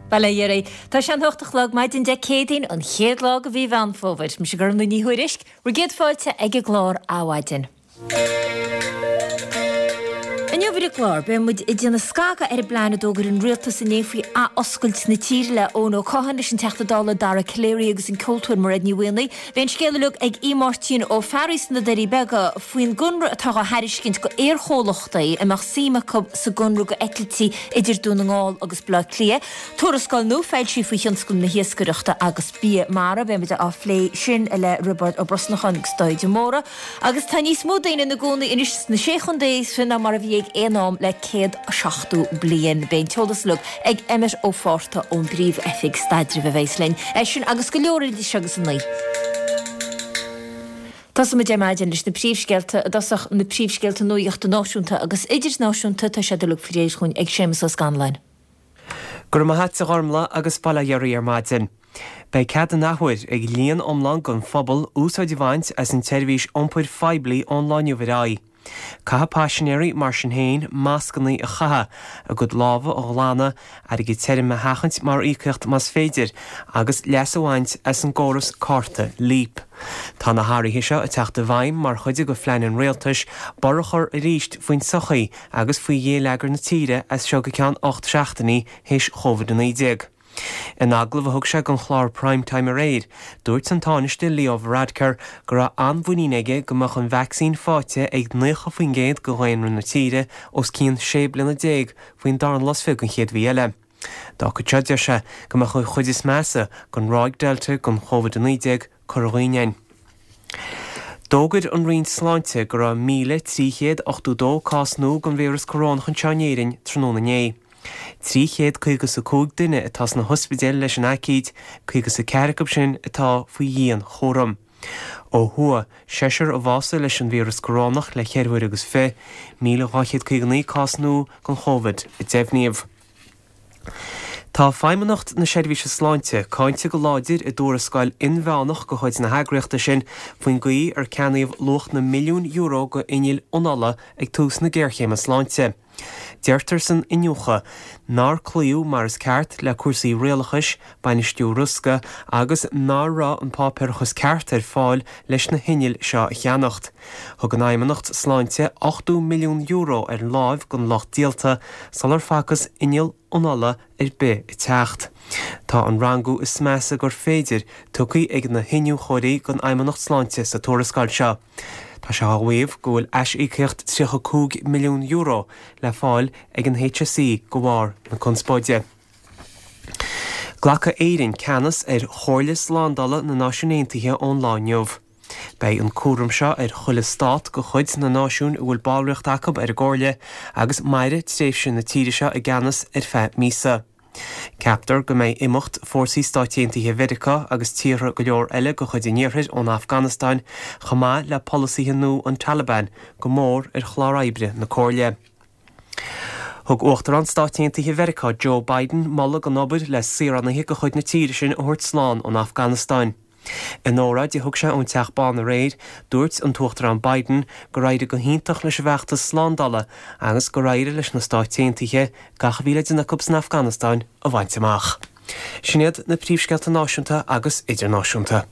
Bail ó Dhia oraibh. Tá sé an hocht a chlog, maidin Dé Céadaoin, an chéad lá de mhí Mheán Fómhair. Mise Gormfhlaith Ní Thuairisg, bhur gcéad fáilte ag an gclár Adhmhaidin. Inniu ar an gclár, beidh muid ag déanamh scagadh ar an bplean a d'fhógair an rialtas inné faoi ath-oscailt na tíre le Eoin Ó Catháin, leis an Teachta Dála Dara Calleary agus an ceoltóir Mairéad Ní Mhaonaigh. Beidh an scéal uilig ag Aodh Máirtín Ó Fearraigh sna Doirí Beaga faoin gconradh atá á thairiscint go aerchomhlachtaí a mbeadh suim acu sa gconradh go eitiltí idir Dún na nGall agus Baile Átha Cliath. Tuarascáil nua foilsithe faoi thionscal na hiascaireachta agus bia mara. Beidh muid á phlé sin le Roibeárd Ó Brosnacháin agus Dáithí de Mórdha. Agus tá níos mó daoine ina gcónaí anois sna Sé Chontae is ná mar a bhí ag aon am le 170 bliain. Beidh an t-eolas uilig ag Emmet Ó Fátharta ón bPríomh-Oifig Staidrimh a bheas linn. É sin agus go leor eile idir seo agus a 9. Tosóidh muid ar maidin leis na príomhscéalta i dtosach, na príomhscéalta nuachta náisiúnta agus idirnáisiúnta. Tá siad uilig faoi réir chugainn ag Séamus Ó Scanláin. Go raibh maith a't a Ghormfhlaith agus bail ó Dhia oraibh ar maidin. Beidh cead an athuair ag líon iomlán den phobal úsáid a bhaint as an tseirbhís iompair phoiblí ón lá inniu ar aghaidh. Caithfidh paisinéirí, mar sin féin, mascanna a chaitheamh, a gcuid lámha a ghlanadh, airgead tirim a sheachaint mar íocaíocht más féidir, agus leas a bhaint as an gcóras cárta Leap. Tá na hathruithe seo ag teacht i bhfeidhm mar chuid de phlean an rialtais borradh a chur arís faoin tsochaí agus faoi ghéilleagar na tíre as seo go ceann 8 seachtainí théis Covid-19. In agallamh a thug sé don chlár Prime Time aréir, dúirt an Tánaiste Leo Varadkar go raibh an-mhuinín aige go mbeadh an vacsaín faighte ag 90% de dhaonra na tíre os cionn 16 bliana faoin darna lá is fiche den chéad mhí eile. Dá fhágfadh seo, deir sé, go mbeadh an chuid is measa den ráig Delta den Covid-19 curtha dhínn againn. D'fhógair an Roinn Sláinte go raibh 1,382 cás nua den víreas corónach anseo in Éirinn tráthnóna inné. 355 duine atá sna hospidéil leis an aicíd, 54 acu sin atá faoi dhianchúram. Ó thuaidh, seisear a bhásaigh leis an víreas corónach le ceithre huaire agus fiche, 1,259 cás nua den Chóivid a deimhníodh. Tá Feidhmeannacht na Seirbhíse Sláinte cáinte go láidir i dtuarascáil inmheánach de chuid na heagraíochta sin faoin gcaoi ar ceannaíodh luach na milliún euro d'innill anála ag tús na géarchéime sláinte. Deirtear san iniúchadh nár cloíodh mar is ceart le cúrsaí rialachais, bainistiú riosca agus nach raibh an páipéarachas ceart ar fáil leis na hinnill seo a cheannacht. Thug an Fheidhmeannacht Sláinte €80 milliún ar láimh don lucht díolta sular facthas inneall anála ar bith ag teacht. Tá an rangú is measa gur féidir tugtha ag na hiniúchóirí don Fheidhmeannacht Sláinte sa tuarascáil seo. Tá sé á mhaíomh go bhfuil aisíocaíocht €35 milliún le fáil ag an HSE de bharr na conspóide. Glacfaidh Éirinn ceannas ar Chomhairle Slándála na Náisiún Aontaithe ón lá inniu. Beidh an cúram seo ar chuile stát de chuid na náisiún a bhfuil ballraíocht acu ar an gComhairle agus mairfidh tréimhse na tíre seo i gceannas ar feadh míosa. Ceaptar go mbeidh imeacht fórsaí Stáit Aontaithe Mheiriceá agus tíortha go leor eile de chuid an Iarthair ón Afganastáin chomh maith le polasaithe nua an Taliban go mór ar chlár oibre na Comhairle. Thug Uachtarán Stáit Aontaithe Mheiriceá Joe Biden moladh don obair le saoránaithe de chuid na tíre sin a thabhairt slán ón Afganastáin. In óráid a thug sé ón Teach Bán aréir, dúirt an tUachtarán Biden gur éirigh go hiontach leis an bhfeachtas slándála agus gur éirigh leis na Stáit Aontaithe gach a bhí le déanamh acu san Afganastáin a bhaint amach. Sin iad na príomhscéalta náisiúnta agus idirnáisiúnta.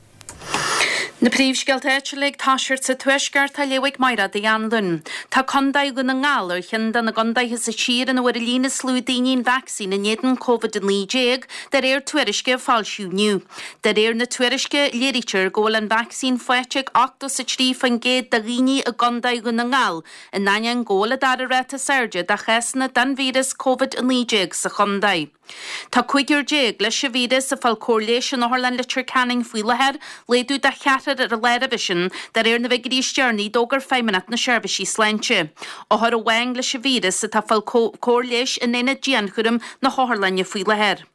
Na príomhscéalta áitiúla ag toiseacht sa Tuaisceart á léamh ag Mairéad Uí Anluain. Tá Contae Dhún na nGall ar cheann de na gcontaetha sa tír ina bhfuair an líon is lú daoine an vacsaín in éadan Covid-19, de réir tuairisce a foilsíodh inniu. De réir na tuairisce, léirítear go bhfuil an vacsaín faighte ag 83% de dhaoine i gContae Dhún na nGall, in ainneoin go bhfuil an dara ráta is airde de chásanna den víreas Covid-19 sa chontae. Tá cúigear leis an víreas ag fáil cóir leighis in Otharlann Leitir Ceanainn faoi láthair, laghdú de cheathrar ar a lá roimhe sin, de réir na bhfigiúirí is deireanaí a d'fhógair Feidhmeannacht na Seirbhísí Sláinte. Othar amháin leis an víreas atá ag fáil cóir leighis in aonad dianchúraim na hotharlainne faoi láthair.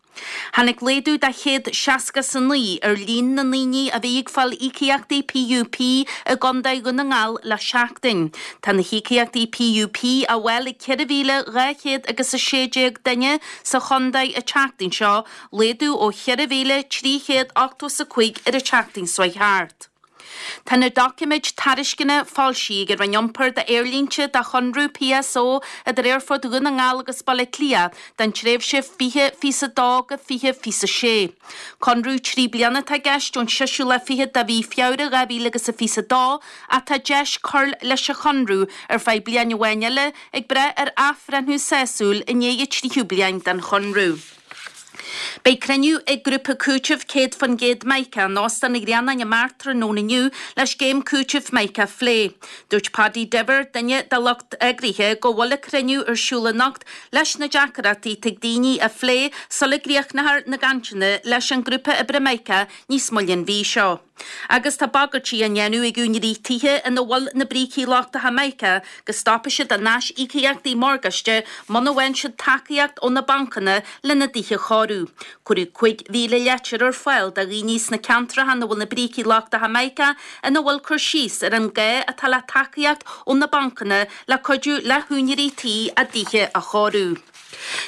Tháinig laghdú de 169 ar líon na ndaoine a bhí ag fáil íocaíochtaí PUP i gContae Dhún na nGall le seachtain. Tá na híocaíochtaí PUP á bhfáil ag 4,200 agus 16 duine sa chontae an tseachtain seo, laghdú ó 4,385 ar an tseachtain seo chuaigh thart. Tá na doiciméid tairisceana foilsithe ag an Roinn Iompair d'aerlínte do chonradh PSO idir Aerfort Dhún na nGall agus Baile Átha Cliath don tréimhse 2022-2026. Conradh 3 bliana atá i gceist ón seisiú lá fichead de mhí Feabhra 2000 agus a 22 ach tá deis cur leis an chonradh ar feadh bliain amháin eile ag brath ar athbhreithniú sásúil i ndiaidh an tríú bliain den chonradh. Beidh cruinniú ag grúpa cúitimh 100% Mica in Óstán an Ghrianáin i mBeart tráthnóna inniu le scéim cúitimh Mica a phlé. Dúirt Paddy Diver, duine de lucht eagraithe, go bhfuil an cruinniú ar siúl anocht leis na deacaireachtaí atá ag daoine a phlé sula gcríochnófar na gcainteanna leis an ngrúpa oibre Mica níos moille an mhí seo. Agus tá bagairtí á ndéanamh ag úinéirí tithe ina bhfuil na brící lochtacha Mica go stopfaidh siad a n-aisíocaíochtaí morgáiste muna bhfaigheann siad tacaíocht ó na bancanna lena dtithe a chóiriú. Cuireadh 5,000 leitir ar fáil do dhaoine sna ceantracha ina bhfuil na brící lochtacha Mica ina bhfuil cur síos ar an gá atá le tacaíocht ó na bancanna le cuidiú le húinéirí tí a dtithe a chóiriú.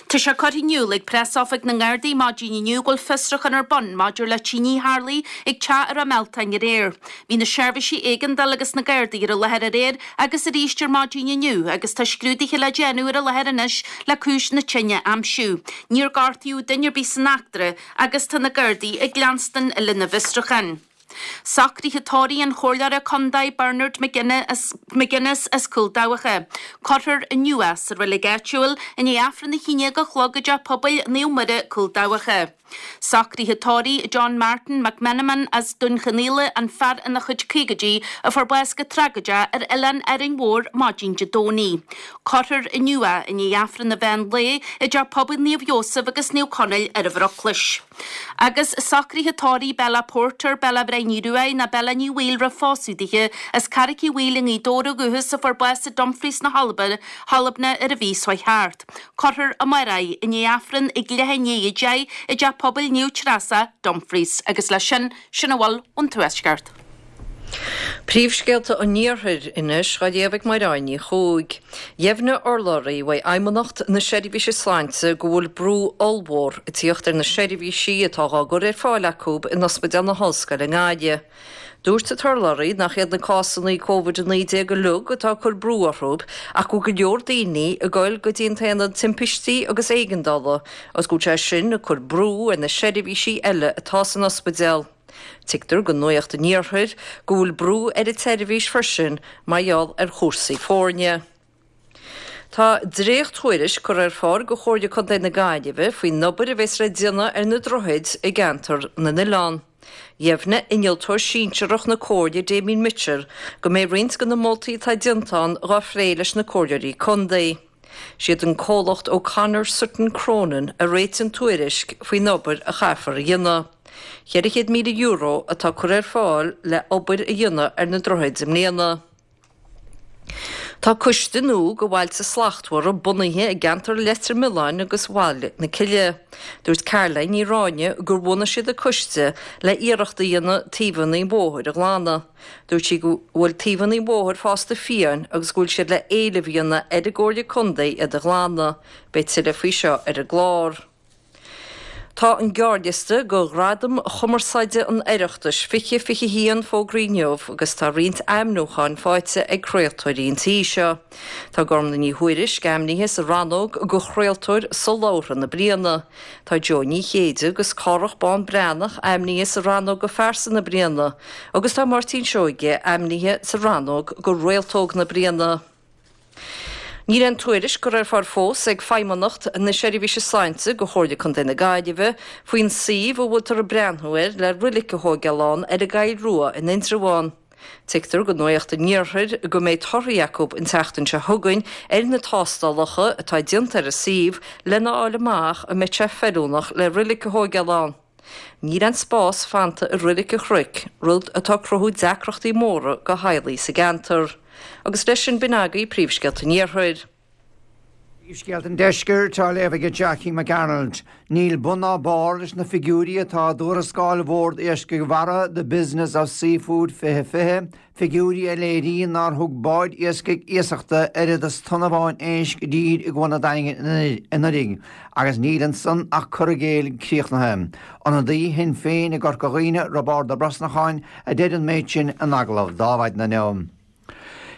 Tá sé curtha in iúl ag Preasoifig na nGardaí maidin inniu go bhfuil fiosrúchán ar bun maidir le tine a tharlaigh ag teach i Ráth Mealtain aréir. Bhí na seirbhísí éigeandála agus na Gardaí ar an láthair aréir agus arís ar maidin inniu agus tá scrúduithe le déanamh ar an láthair anois le cúis na tine a aimsiú. Níor gortaíodh duine ar bith san eachtra agus tá na Gardaí ag leanstan lena bhfiosrúchán. Socruithe tórraimh an Chomhairleora Contae Bernard McGuinness as Cúil Dabhacha. Cuirfear inniu é sa reilig áitiúil i ndiaidh Aifreann a 11 a chlog i dTeach Pobail Naomh Muire, Cúil Dabhacha. Socruithe tórraimh John Martin McMenamin as Dún Chonaill, an fear ina chuid caogaidí a fuair bás go tragóideach ar oileán Árainn Mhór maidin Dé Domhnaigh. Cuirfear inniu é i ndiaidh Aifreann an mheán lae i dTeach Pobail Naomh Iósaf agus Naomh Conaill ar an Bhruclais. Agus socruithe tórraimh Bella Porter, Bella Bhrian Uí Ruadháin ná Bella Ní Bhaoill roimh phósadh dithe, as Carraic Uí Bhaoill i nGaoth Dobhair ó dhúchas a fuair bás i Dumfries na hAlban ar an mhí seo chuaigh thart. Cuirfear amárach í i ndiaidh Aifreann ag leath i ndiaidh 10 i dTeach Pobail Naomh Treasa, Dumfries. Agus leis sin, sin a bhfuil ón Tuaisceart. Príomhscéalta an Iarthair anois dhá léamh ag Mairéad Ní Chuaig. Dheimhnigh urlabhraí uaidh Fheidhmeannacht na Seirbhíse Sláinte go bhfuil brú ollmhór ag tíocht ar na seirbhísí atá dhá gcur ar fáil acu in Ospidéal na hOllscoile i nGaillimh. Dúirt an t-urlabhraí nach iad na cásanna Covid-19 uilig atá ag cur brú orthu ach go bhfuil go leor daoine ag goil go dtí an t-aonad timpistí agus éigeandála agus go bhfuil sé sin ag cur brú ar na seirbhísí eile atá san ospidéal. Tuigtear do Nuacht an Iarthair go bhfuil brú ar an tseirbhís freisin mar gheall ar chúrsaí foirne. Tá dréacht-thuairisc curtha ar fáil go Chomhairle Contae na Gaillimhe faoin obair a bheas le déanamh ar na droichid i gceantar na nOileán. Dheimhnigh innealtóir sinsearach na Comhairle Damien Mitchell go mbeidh roinnt de na moltaí atá déanta ann dhá phlé leis na Comhairleoirí Contae. Siad an comhlacht O'Connor Sutton Cronin a réitigh an tuairisc faoin obair a chaithfear a dhéanamh. €400,000 atá curtha ar fáil le obair a dhéanamh ar na droichid i mbliana. Tá coiste nua go Bhailte Slachtmhara bunaithe i gceantar Leitir Mealláin agus Bhaile na Cille. Dúirt Caroline Ní Ráinne gur bhunaigh siad an coiste le iarracht a dhéanamh taobhanna an bhóthair a ghlanadh. Dúirt sí go bhfuil taobhanna an bhóthair fásta fiáin agus go bhfuil siad le éileamh a dhéanamh ar an gComhairle Contae iad a ghlanadh. Beidh tuilleadh faoi seo ar an gclár. Tá an gearrliosta go Ghradaim Chumarsáide an Oireachtais 2021 fógraithe inniu agus tá roinnt ainmniúcháin faighte ag craoltóirí an tí seo. Tá Gormlaith Ní Thuairisg ainmnithe sa rannóg go Chraoltóir Solabhartha na Bliana. Tá Jó Ní Chéide agus Cárthach Bán Breathnach ainmnithe sa rannóg go Phearsa na Bliana agus tá Máirtín Seoige ainmnithe sa rannóg go Réaltóg na Bliana. Níl aon tuairisc curtha ar fáil fós ag Feidhmeannacht na Seirbhíse Sláinte go Chomhairle Contae na Gaillimhe faoin suíomh a bhfuiltear ag breathnú air le roilic a thóigeáil ann ar an gCoill Rua in Indreabhán. Tuigtear go Nuacht an Iarthair go mbeidh torthaí acu an tseachtain seo chugainn ar na tástálacha atá déanta ar an suíomh lena fháil amach an mbeidh sé feiliúnach le roilic a thóigeáil ann. Níl aon spás fanta i Roilic an Chnoic, rud atá ag cruthú deacrachtaí móra go theaghlaigh sa gceantar. Agus leis sin b'in agaibh príomhscéalta an Iarthair. Príomhscéalta an Deiscirt á léamh ag Jackie McArnold. Níl bun ná barr leis na figiúirí atá i dtuarascáil Bhord Iascaigh Mhara The Business of Seafood 2020, figiúirí a léiríonn nár thug báid iascaigh iasachta oiread is tonna amháin éisc i dtír i gCuan an Daingin anuraidh, agus níl ansan ach cur i gcéill críochnaithe. Ionadaí Shinn Féin i gCorca Dhuibhne, Roibeárd Ó Brosnacháin, a deir an méid sin in agallamh d'Adhmhaidin inniu.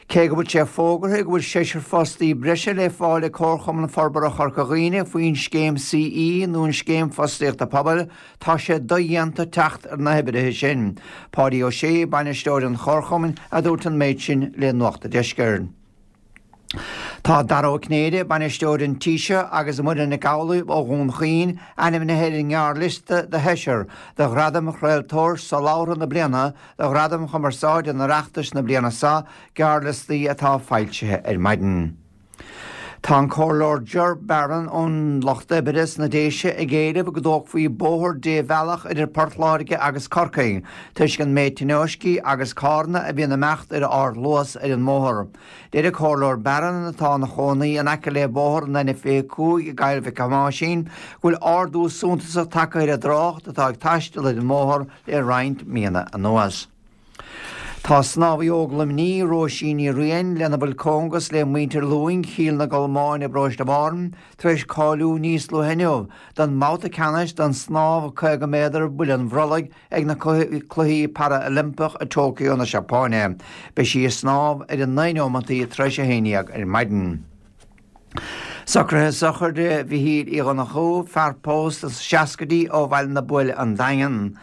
Cé go bhfuil sé fógartha go bhfuil seisear fostaí breise le fáil ag Comharchumann Forbartha Chorca Dhuibhne faoin scéim CE nó an Scéim Fostaíochta Pobail, tá sé dodhéanta teacht ar na hoibrithe sin. Páidí Ó Sé, bainisteoir an Chomharchumainn, a dúirt an méid sin le Nuacht an Deiscirt. Tá Dara Ó Cinnéide, bainisteoir an tí seo, agus Muireann Nic Amhlaoibh ó Dhún Chaoin ainmnithe ar an ngearrliosta do sheisear do Ghradaim Chraoltóir Solabhartha na Bliana do Ghradaim Chumarsáide an Oireachtais na bliana seo, gearrliostaí atá foilsithe ar maidin. Tá an Comhairleoir Ger Barron ón Lucht Oibre sna Déise ag éileamh go dtógfaí bóthar débhealach idir Port Láirge agus Corcaigh toisc an méid tionóiscí agus carranna a bhíonn ag imeacht ar ardluas ar an mbóthar. Deir an Comhairleoir Barron, atá ina chónaí in aice le bóthar an N25 i gCoill Mhic Thomáisín, go bhfuil ardú suntasach tagtha ar an dtrácht atá ag taisteal ar an mbóthar le roinnt míonna anuas. Tá snámhaí óg Luimnigh, Róisín Ní Riain, lena bhfuil cóngas le muintir Lúing, Chill na gColmán i bparóiste Bhártha, tar éis cáiliú níos luaithe inniu don mbabhta ceannais don snámh 50 méadar buille an bhrollaigh ag na Cluichí Para-Oilimpeach i Tokyo na Seapáine. Beidh sí ag snámh ar a naoi neomantaí tar éis a haon dhéag ar maidin. Socruithe sochraide Mhichíl Uí Dhonnchú, fear pósta sna seascaidí ó Bhaile na Buaile, An Daingean.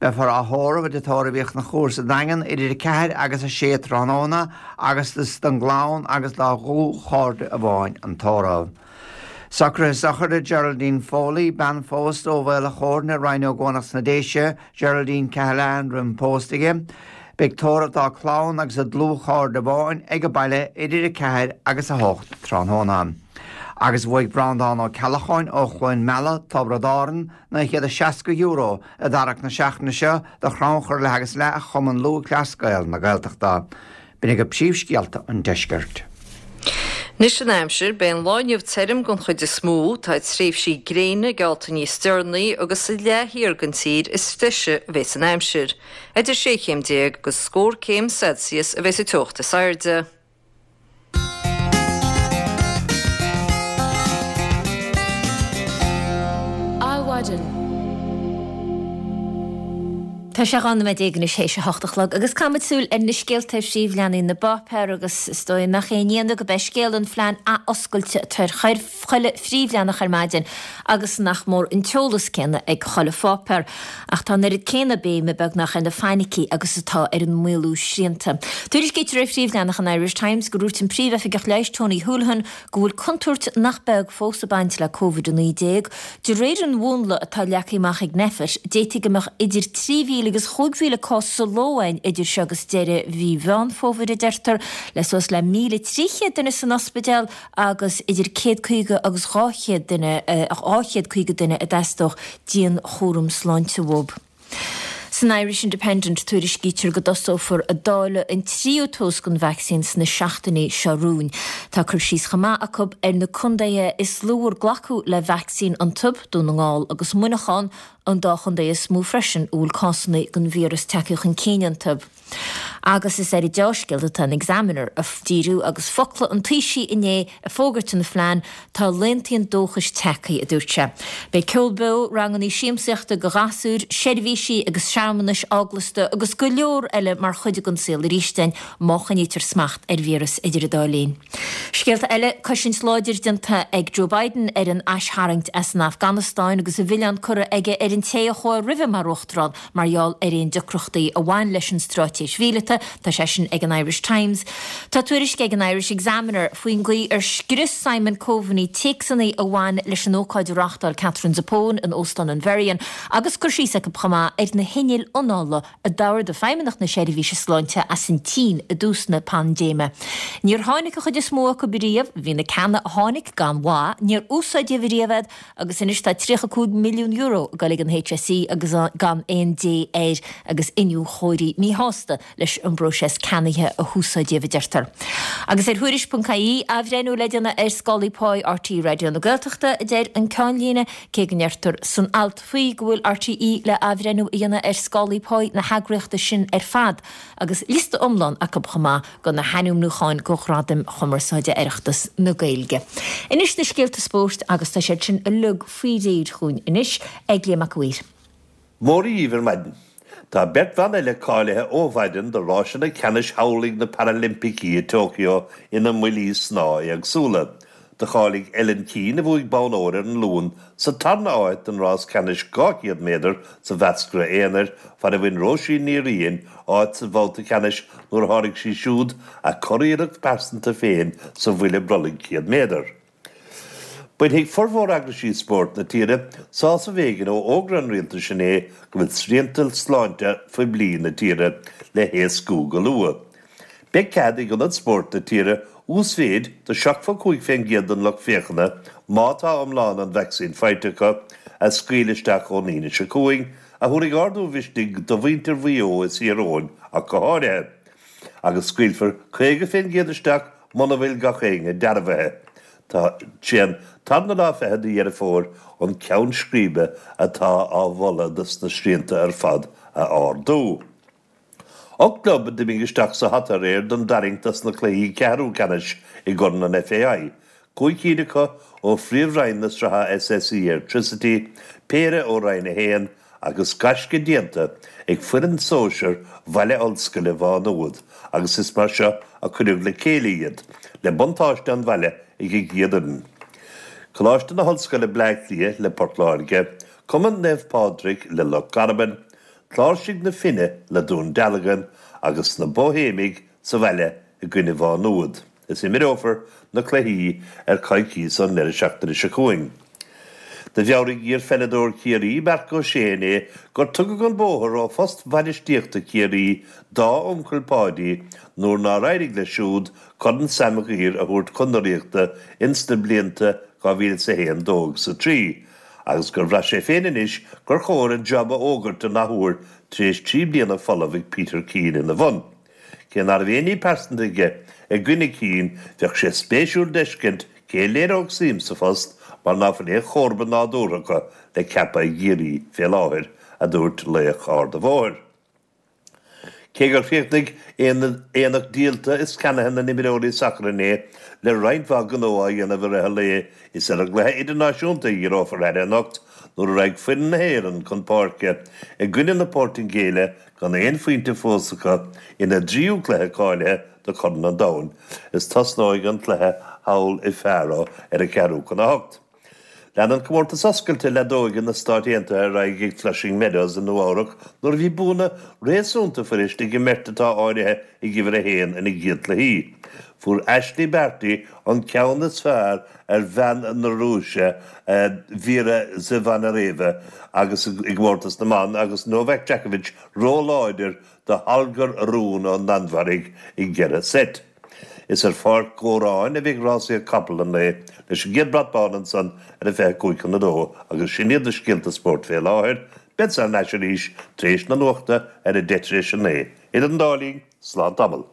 Beifear á thórramh i dtigh tórraimh Uí Chonchúir sa Daingean idir 4 agus 6 tráthnóna agus is don gclann agus dá dhlúthchairde amháin an tórramh. Socruithe sochraide Geraldine Foley, bean phósta ó Mhaol a' Chóirne, Rinn Ó gCuanach sna Déise, Geraldine Cahalane roimh an pósadh di. Beidh tórramh dá clann agus a dlúthchairde amháin ag an baile idir 4 agus 8 tráthnóna. Agus bhuaigh Breandán Ó Ceallacháin ó Chluain Meala, Tiobraid Árann, €960 i dtarrac na seachtaine seo do chrannchur leath agus leath Chumann Lúthchleas Gael na Gaeltachta. B'in agaibh príomhscéalta an deiscirt. Anois an aimsir, beidh an lá inniu tirim den chuid is mó. Tá tréimhsí gréine geallta níos deireanaí agus sa leath thiar den tír is treise a bheas an aimsir. Idir 16 chéim agus scór céim Celsius a bheas an teocht is airde. Adhmhaidin. Tá sé 12 nóiméad anois théis a hocht a chlog agus caithfimid súil ar na scéalta ar phríomhleathanaigh na bpáipéar agus is dóigh nach aon ionadh gurb é scéal an phlean athoscailte atá ar chuile phríomhleathanach ar maidin agus nach mór an t-eolas céanna ag chuile pháipéar. Ach tá an oiread céanna béime beagnach ar na fainicí agus atá ar an maolú srianta. Tuairiscítear ar phríomhleathanach an Irish Times gur dhúirt an Príomh-Oifigeach Leighis Tony Holohan go bhfuil contúirt nach beag fós ag baint le Covid-19. De réir an mhúnla atá leagtha amach ag Nphet, d'fhéadfadh go mbeadh idir 3,000 agus 5,000 cás sa ló againn idir seo agus deireadh mhí Mheán Fómhair, a deirtear, le suas le 1,300 duine san ospidéal agus idir 150 agus 200 duine, 250 duine a dteastódh dianchúram sláinte uathu. San Irish Independent tuairiscítear go dtosófar ag dáileadh an tríú dós den vacsaín sna seachtainí seo romhainn. Tá cur síos chomh maith acu ar na contaetha is lú ar glacadh le vacsaín iontu, Dún na nGall agus Muineachán, an dá chontae is mó freisin a bhfuil cásanna den víreas tagtha chun cinn iontu. Agus is ar an deá-scéal atá an Examiner ag díriú agus focla an Taoisigh inné ag fógairt an phlean, tá laethanta an dóchais tagtha, a dúirt sé. Beidh ceol beo, ranganna siamsaíochta do ghasúir, seirbhísí agus searmanais eaglasta agus go leor eile mar chuid den saol arís againn má choinnítear smacht ar víreas idir an dá linn. Scéalta eile, cosaint láidir déanta ag Joe Biden ar an aistharraingt as an Afganastáin agus a mhilleán curtha aige ar an té a chuaigh roimhe mar uachtarán Mar gheall ar aon deacrachtaí a bhain leis an straitéis mhíleata, tá sé sin ag an Irish Times. Tá tuairisc ag an Irish Examiner faoin gcaoi ar scrios Simon Coveney téacsanna a bhain leis an ócáid a reáchtáil Katherine Zappone in Óstán an Merion agus cur síos acu chomh maith ar na hinnill. ghéill anála a d'ordaigh Feidhmeannacht na Seirbhíse Sláinte as an tSín i dtús na paindéime. Níor tháinig an chuid is mó acu riamh, bhí na ceanna a tháinig gan mhaith, níor úsáideadh riamh iad agus anois tá €35 milliún ag dul ag an HSE agus gan aon dé air agus iniúchóirí míshásta leis an bpróiseas ceannaithe a húsáideadh, a deirtear. Agus ar Thuairisc.ie, athbhreithniú le déanamh ar scálaí páí RTÉ Raidió na Gaeltachta, a deir an ceannlíne, cé go ndeirtear san alt faoi go bhfuil RTÉ le athbhreithniú a dhéanamh ar scálaí páí na heagraíochta sin ar fad agus liosta iomlán acu chomh maith de na hainmniúcháin do Ghradaim Chumarsáide Oireachtas na Gaeilge. Anois na scéalta spóirt agus tá siad sin uilig faoi réir chugainn anois ag Liam Mac a' Mhaoir. Mora dhíbh ar maidin. Tá beirt bhan eile cáilithe ó mhaidin do ráiseanna ceannais chabhlaigh na Parailimpicí i Tokyo ina mbuillí snámha éagsúla. Do cháiligh Ellen Keane, a bhuaigh bonn óir ar an Luan, sa tarna háit don rás ceannais 200 méadar sa mheascra aonair, fad a bhain Róisín Ní Riain áit sa bhabhta ceannais nuair a sháraigh sí siúd a curiarracht pearsanta féin sa bhuille brollaigh 100 méadar. Bainfidh formhór eagraisí spóirt na tíre sásamh éigin ó fhógra an rialtais inné go bhfuil srianta sláinte phoiblí na tíre le héascú go luath. Beidh cead ag ionaid spóirt na tíre uasmhéid de 75% den lucht féachana, má tá iomlán an vacsaín faighte acu, a scaoileadh isteach ón Aoine seo chugainn, a thabharfaidh ardú mhisnigh do mhuintir Mhaigh Eo is Thír Eoghain ach go háirithe. Agus scaoilfear 50% isteach Muna bhfuil gach éinne dearbhaithe, tá sé an tarna lá fichead de Dheireadh Fómhair an ceann scríbe atá á mholadh dos na srianta ar fad a ardú. 8 gclub a d'imigh isteach sa hata aréir don dtarraingt dos na cluichí ceathrú ceannais i gCorn an FAI, 5 cinn acu ó phríomhroinn na sraithe SSE Airtricity, péire ó Roinn 1 agus gaisce déanta ag foireann sóisear Bhaile Ollscoile Mhá Nuad agus is mar seo a cuireadh le chéile iad, le buntáiste an bhaile ag an gcéad fhoireann. Coláiste na hOllscoile Bleá Cliath le Port Láirge, Cumann Naomh Pádraig le Loch Garman, Cláirsigh na Finne le Dún Dealgan agus na Bóihéimigh sa bhaile i gcoinne Mhá Nuad. Is imreofar na cluichí ar coicíos ón ndeireadh seachtaine seo chugainn. Do mheabhraigh iar-pheileadóir Chiarraí, Marc Ó Sé inné gur tugadh an bóthar ó phost bhainistíochta Chiarraí dá uncail Páidí nuair nár éirigh leis siúd Corn Sam Mhaguire a thabhairt chun na Ríochta ins na blianta 2001, 2 agus 3 agus gur bhraith sé féin anois gur chóir an jab a fhógairt an athuair tar éis 3 bliana folamh ag Peter Keane ina bhun. Cé ná raibh aon ní pearsanta aige i gcoinne Keane, bheadh sé spéisiúil d'fheiscint cé a léireodh suim sa phost mar ná fuil aon chomharba nádúrtha acu le ceapadh i gCiarraí fé láthair, a dúirt laoch Ard a' Bhóthair. Cé gur chríochnaigh aonach díolta is ceannaithe na n-imreoirí sacair inné le roinnt mhaith gnó á dhéanamh i rith an lae, is ar an gcluiche idirnáisiúnta a dhíreofar aire anocht nuair a raghaidh foireann na hÉireann chun páirce i gcoinne na Portaingéile gan aon phointe fós acu ina dtríú cluiche cáilithe do Chorn an Domhain is tosnóidh an cluiche thall i Faro ar a ceathrú chun a hocht. Leanann Comórtas Oscailte Leadóige na Stáit Aontaithe ar aghaidh ag Flushing Meadows i Nua-Eabhrac nuair a bhí buanna réasúnta fuirist ag an mbeirt atá áirithe ag uimhir a haon ina gcéad cluichí. Fuair Ashleigh Barty an ceann is fearr ar bhean na Rúise, Vera Zvonareva agus i gcomórtas na mban agus Novak Djokovic róláidir do Holger Rune ón Danmhairg i gceithre seit. Is ar Pháirc Góráin a bheidh rásaíocht capall an lae leis an gcéad brat bán ansan ar a 25 chun a dó agus sin iad na scéalta spóirt fé láthair. Beadsa thar n-ais arís tar éis na nuachta ar a deich tar éis a naoi. Idir an dá linn, slán tamall.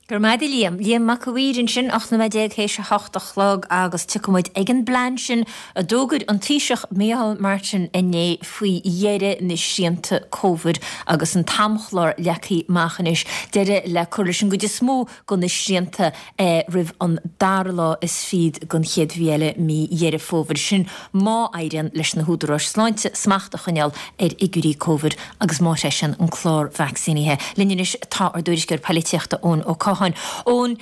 Go raibh maith agat a Liam. Liam Mac a' Mhaoir ansin, 18 nóiméad théis a hocht a chlog agus tiocfaidh muid ag an bplean sin a d'fhógair an Taoiseach Micheál Martin inné faoi dheireadh na srianta Covid agus an t-amchlár leagtha amach anois, deireadh le cur leis an gcuid is mó de na srianta roimh an dara lá is fichead den chéad mhí eile, mí Dheireadh Fómhair. Sin má éiríonn leis na húdaráis sláinte smacht a choinneáil ar fhigiúirí Covid agus má threisíonn an clár vacsaínithe. Linn anois tá ár dtuairisceoir poilitíochta Eoin Ó Catháin. Eoin,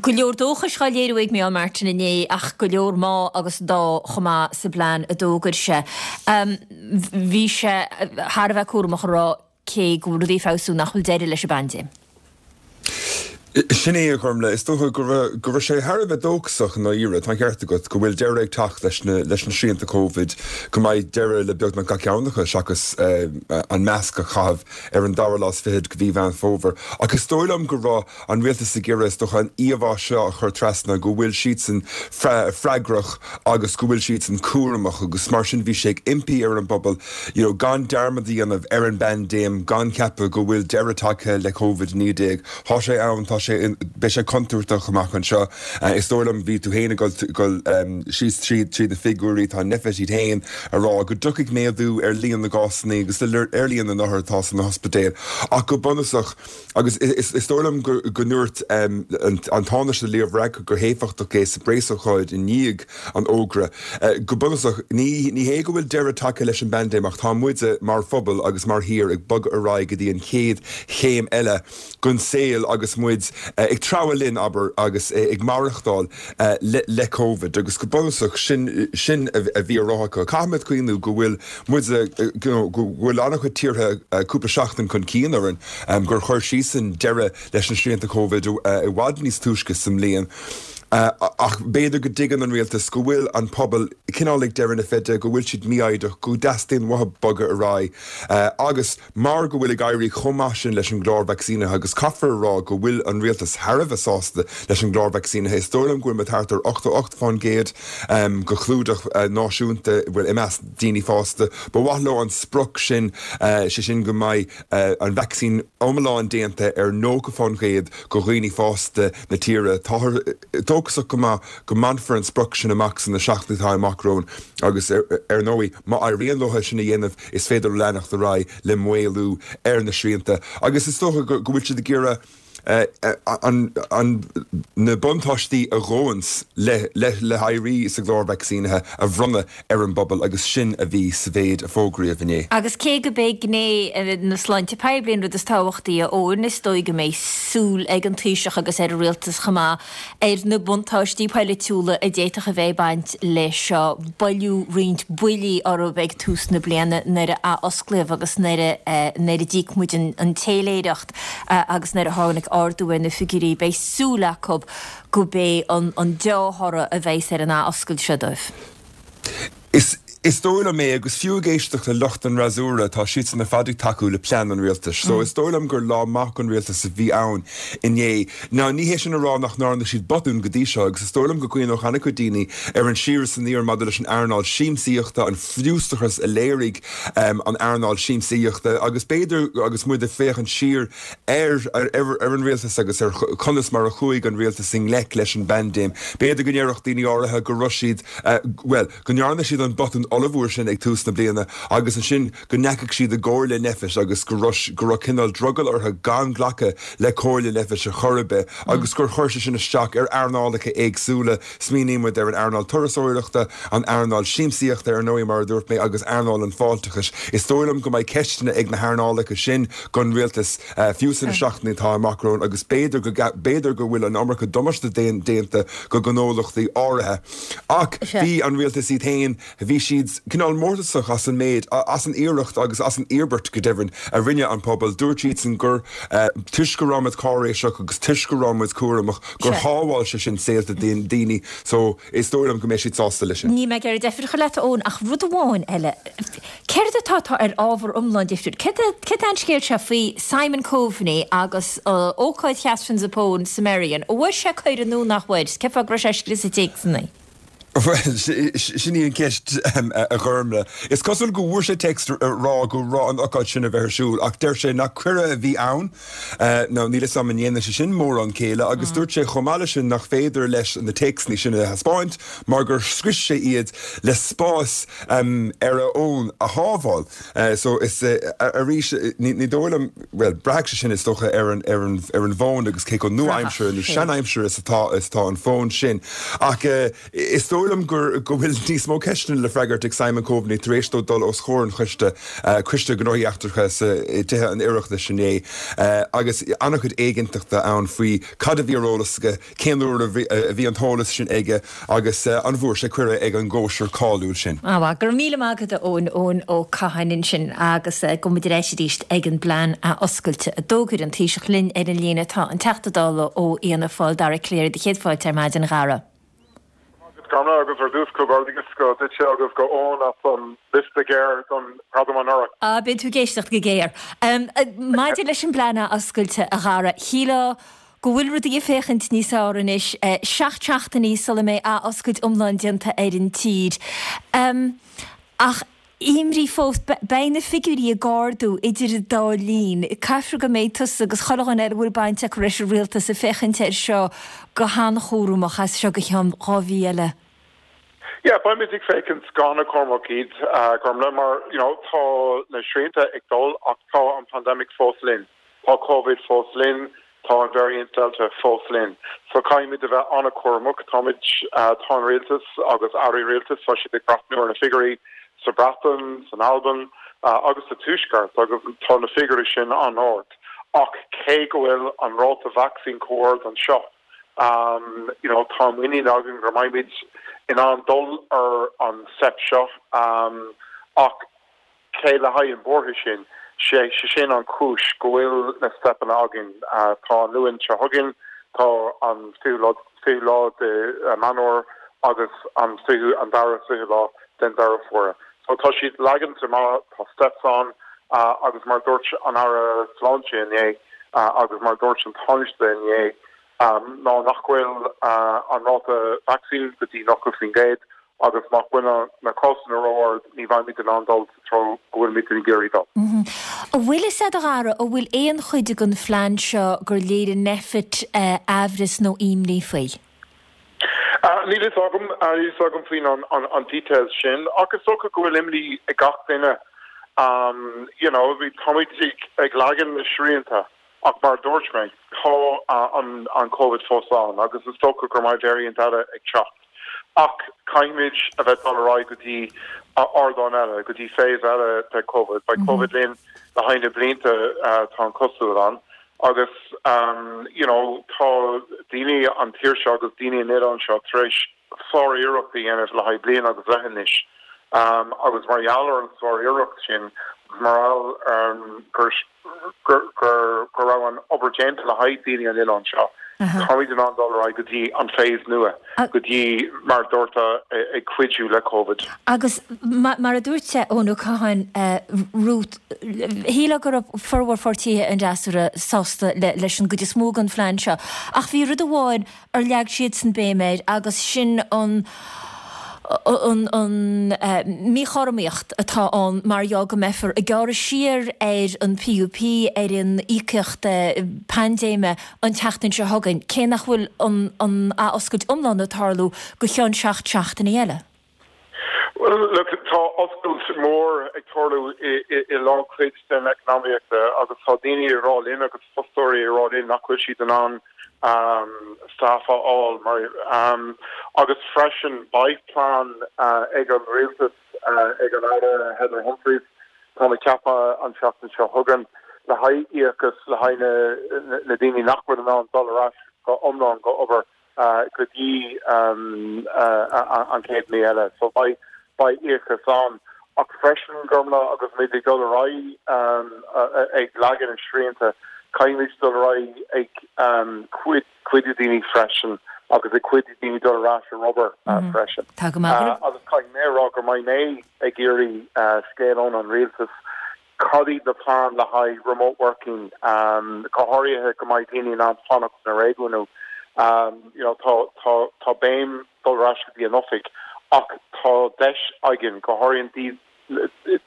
go leor dóchais á léiriú ag Micheál Martin inné ach go leor má agus dá chomh maith sa bplean a d'fhógair sé. Bhí sé thar a bheith cúramach a rá cé go bhfuil rudaí ag feabhsú nach bhfuil deireadh leis an bpaindéim. Sin é, a Ghormlaith. Is dócha go raibh, go raibh sé thar a bheith dóchasach i ndáiríre. Tá an ceart agat go bhfuil deireadh ag teacht leis na, leis na srianta Covid, go mbeidh deireadh le beagnach gach ceann acu seachas an masc a chaitheamh ar an dara lá is fichead de mhí Mheán Fómhair. Ach is dóigh liom go raibh an rialtas ag iarraidh, is dócha, an íomhá seo a chur trasna go bhfuil siadsan freagrach agus go bhfuil siadsan cúramach agus mar sin bhí sé ag impí ar an bpobal you know gan dearmad a dhéanamh ar an bpaindéim, gan ceapadh go bhfuil deireadh tagtha le Covid-19. Tá sé ann, tá sé, beidh sé contúirteach amach anseo. Is dóigh liom, bhí tú féin ag dul síos tríd na figiúirí, tá Nphet iad féin a rá go dtiocfaidh méadú ar líon na gcásanna agus ar líon na n-othar atá sna hospidéil ach go bunúsach, agus is dóigh liom go ndúirt an Tánaiste Leo Varadkar go héifeachtach é sa bpreasócáid i ndiaidh an fhógra, go bunúsach, ní hé go bhfuil deireadh tagtha leis an bpaindéim ach tá muide mar phobal agus mar thír ag bogadh ar aghaidh go dtí an chéad chéim eile den saol agus muid ag treabhadh linn, abair, agus ag maireachtáil le Covid agus go bunúsach sin sin a bhí á rá acu. Caithfimid cuimhniú go bhfuil muide, you know, go bhfuil an-chuid tíortha cúpla seachtain chun cinn orainn, gur chuir siadsan deireadh leis na srianta Covid i bhfad níos túisce sa mbliain. Ach b'fhéidir go dtuigeann an rialtas go bhfuil an pobal cineál ag deireadh na feide, go bhfuil siad mífhoighdeach, go dteastaíonn uathu bogadh ar aghaidh agus mar go bhfuil ag éirí chomh maith sin leis an gclár vacsaínithe agus caithfear a rá go bhfuil an rialtas thar a bheith sásta leis an gclár vacsaínithe, is dóigh liom go bhfuil muid thart ar 88% de chlúdach náisiúnta, bhuel, i measc daoine fásta. Ba mhaith leo an sprioc sin, sé sin go mbeidh an vacsaín iomlán déanta ar 90% de dhaoine fásta na tíre. Táthar dóchasach go maith go mbainfear an sprioc sin amach sna seachtainí atá amach romhainn agus, ar ndóigh, má éiríonn leo é sin a dhéanamh, is féidir leo leanacht ar aghaidh le maolú ar na srianta agus is dócha go bhfuil siad ag iarraidh na buntáistí a ghabhanns le héirí sa gclár vacsaínithe a bhronnadh ar an bpobal agus sin a bhí sa mhéid a fógraíodh inné. Agus cé go b'é gné na sláinte poiblí an rud is tábhachtaí, a Eoin, is dóigh go mbeidh súil ag an Taoiseach agus ar an Rialtas chomh maith ar na buntáistí polaitiúla a d'fhéadfadh a bheith ag baint leis seo. Buaileadh roinnt buillí orthu ag tús na bliana nuair a athosclaíodh agus nuair a nuair a d'íoc muid an téiléireacht agus nuair a tháinig ardú ar na figiúirí. Beidh súil acu go b'é an deá-thoradh a bheas ar an athoscailt seo dóibh. Is dóigh liom é, agus fiú ag éisteacht le lucht an fhreasúra, tá siadsan ar fad ag tacú le plean an rialtais. So is dóigh liom gur lá maith don rialtas a bhí ann inné. Now ní hé sin a rá nach ndearna siad botún go dtí seo, agus is dóigh liom go gcuimhneodh an-chuid daoine ar an siar is aniar maidir leis an earnáil siamsaíochta, an fiústachas a léirigh an earnáil siamsaíochta, agus b'fhéidir agus muid ag féachaint siar ar ar an rialtas agus ar conas mar a chuaigh an rialtas i ngleic leis an bpaindéim, b'fhéidir go ndéarfadh daoine áirithe go raibh siad, bhuel, go ndearna siad an botún ollmhór sin ag tús na bliana agus ansin go ndeachaigh siad i gcomhairle Nphet agus go raibh go raibh cineál drogall orthu gan glacadh le comhairle Nphet ar chor ar bith agus gur chuir sé sin isteach ar earnálacha éagsúla. Smaoiníonn muid ar an earnáil turasóireachta, an earnáil siamsaíochta ar ndóigh mar a dúirt mé agus earnáil an fáilteachais. Is dóigh liom go mbeidh ceisteanna ag na hearnálacha sin don rialtas fiú sna seachtainí atá amach romhainn agus b'fhéidir go b'fhéidir go bhfuil an iomarca damáiste déanta do ghnólachtaí áirithe. Ach bhí an rialtas iad féin, bhí siad cineál mórtasach as an méid, as an iarracht agus as an íobairt, go deimhin, a rinne an pobal. Dúirt siadsan gur toisc go raibh muid cáiréiseach agus toisc go raibh muid cúramach gur shábháil sé sin saolta daoine. So, is dóigh liom go mbeidh siad sásta leis sin. Níl mé ag iarraidh deifir a chur leat, a Eoin, ach rud amháin eile. Céard atá atá ar ábhar iomlán difriúil? Céard é an scéal seo faoi Simon Coveney agus ócáid Chatherine Zappone sa Merrion? An bhfuair sé cuireadh nó nach bhfuair? Cén fáth go raibh sé ag scrios téacsanna? Bhuel, sin í an cheist, a Ghormlaith. Is cosúil go bhfuair sé téacs ag rá go raibh an ócáid sin a bheith ar siúl, ach deir sé nach cuireadh a bhí ann. Now, níl 'fhios a'm an ndéanann sé sin mórán céille, agus dúirt sé chomh maith leis sin nach féidir leis na téacsanna sin a thaispeáint mar gur scrios sé iad le spás ar a fhón a shábháil. So is arís, ní dóigh liom, bhuel, braithfidh sé sin is dócha ar an ar an ar an bhfón agus cé chomh nua-aimseartha nó sean-aimseartha is atá is atá an fón sin. Ach is dóigh liom. dóigh liom gur, go bhfuil níos mó ceisteanna le freagairt ag Simon Coveney tar éis dó dul os comhair an choiste, Coiste Gnóthaí Eachtracha sa, i dTithe an Oireachtais inné agus an-chuid éiginnteachta ann faoi cad a bhí ar eolas aige, cén uair a bhí an t-eolas sin aige agus an bhfuair sé cuireadh ag an gcóisir cáiliúil sin. Á, go raibh míle maith agat a Eoin, Eoin Ó Catháin ansin agus gabhfaidh muid ar ais arís ag an bplean athoscailte a d'fhógair an Taoiseach. Linn ar an líne tá an Teachta Dála ó Fhianna Fáil, Dara Calleary, do chéad fáilte ar maidin, a Dhara. Go raibh maith agat Gormlaith agus ar dtús comhghairdeachas go duitse agus go Eoin as an liosta géar don ghradam anuraidh. Á, bíonn tú ag éisteacht go géar. Maidir leis an bplean athoscailte, a Dhara, shílfeá go bhfuil rudaí ag féachaint níos fearr anois, 7 seachtainí sula mbeidh athoscailt iomlán déanta ar an tír. Ach imní fós, beidh na figiúirí ag ardú idir an dá linn. Caithfear go mbeidh tusa agus chuile dhuine eile a bhfuil baint acu leis an rialtas ag féachaint air seo go han-chúramach as seo go ceann 2 mhí eile. Yeah, beimid ag féachaint go han-chúramach iad, Gormlaith, mar you know tá na srianta ag dul ach tá an pandemic fós linn. Tá Covid fós linn, tá an variant Delta fós linn. So caithfimid a bheith an-chúramach. Táimid, tá an rialtas agus airí rialtais, tá siad ag breathnú ar na figiúirí sa Bhreatain, san Albain agus sa Tuaisceart agus tá na figiúirí sin an-ard. Ach cé go bhfuil an ráta vacsaín chomh ard anseo, you know, tá muinín againn go mbeimid in ann dul ar an step seo ach, Cé le haghaidh an buartha sin? Sé sin an chúis go bhfuil na steipeanna againn. Tá an Luan seo chugainn, tá an 20ú lá, 20ú lá de Meán Fhómhair agus an 20ú, an dara 20ú lá den Deireadh Fómhair. So tá siad leaganta amach, tá steps ann agus mar dúirt an Aire Sláinte inné agus mar dúirt an Tánaiste inné ná nach bhfuil an ráta vacsaín go dtí 90% agus má bhfuil na cásanna ró-ard ní bheimid in ann dul sa treo go bhfuilimid ag iarraidh dul. An bhfuil fhios agat a Dhara, an bhfuil aon chuid den phlean seo gur léirigh Nphet aimhreas nó imní faoi? Níl fhios agam, níl fhios agam faoin an details sin ach is dócha go bhfuil imní ag gach duine. You know, táimid ag leagan na srianta Ach mar a dúirt mé, tá an Covid fós ann agus is dócha go mbeidh variant eile ag teacht. Ach caithfimid a bheith dul ar aghaidh go dtí ardán eile, go dtí phase eile de Covid. Beidh Covid linn le haghaidh na blianta, tá an cosúil ann. Agus you know tá daoine an tír seo agus daoine an oileáin seo tar éis sár-iarracht a dhéanamh le haghaidh bliain agus leath anois agus mar gheall ar an sár-iarracht sin agus mar gheall ar gur go raibh an obair déanta le haghaidh daoine an oileáin seo, táimid in ann dul ar aghaidh go dtí an phase nua, go dtí mar a dúirt ag cuidiú le Covid. Agus mar a dúirt Eoin Ó Catháin, Ruth, shílfeá go raibh formhór pháirtithe an fhreasúra sásta leis an gcuid is mó den phlean seo ach bhí rud amháin ar leag siadsan béim air agus sin an an mhíchothromaíocht atá ann mar gheall go mbeifear ag gearradh siar ar an PUP, ar an íocaíocht paindéime an tseachtain seo chugainn, cé nach bhfuil an athoscailt iomlán ag tarlú go ceann 7 seachtainí eile. Bhuel, look, tá oscailt mór ag tarlú i lánchuid den eacnamaíochta agus tá daoine ag rá linn agus fostóirí ag rá linn nach bhfuil siad in ann staff a fháil mar agus freisin beidh plean ag an rialtas, ag an Aire Heather Humphreys, tá mé ag ceapadh an tseachtain seo chugainn, le haghaidh íocas le haghaidh na daoine nach bhfuil in ann dul ar ais go iomlán go obair. go dtí an chéad mhí eile. So beidh beidh íocas ann. Ach freisin, Gormlaith, agus muid ag dul ar aghaidh ag leagan na srianta, caithfimid dul ar aghaidh ag cuidiú daoine freisin agus ag cuidiú daoine dul ar ais ar obair freisin. Tá go maith. Agus caithfidh mé a rá go mbeidh mé ag iarraidh scéal ón an rialtas Cad iad na plean le haghaidh remote working, go háirithe go mbeidh daoine in ann fanacht sna réigiúin. You know, tá, tá, tá béim dul ar ais go dtí an oifig ach tá deis againn, go háirithe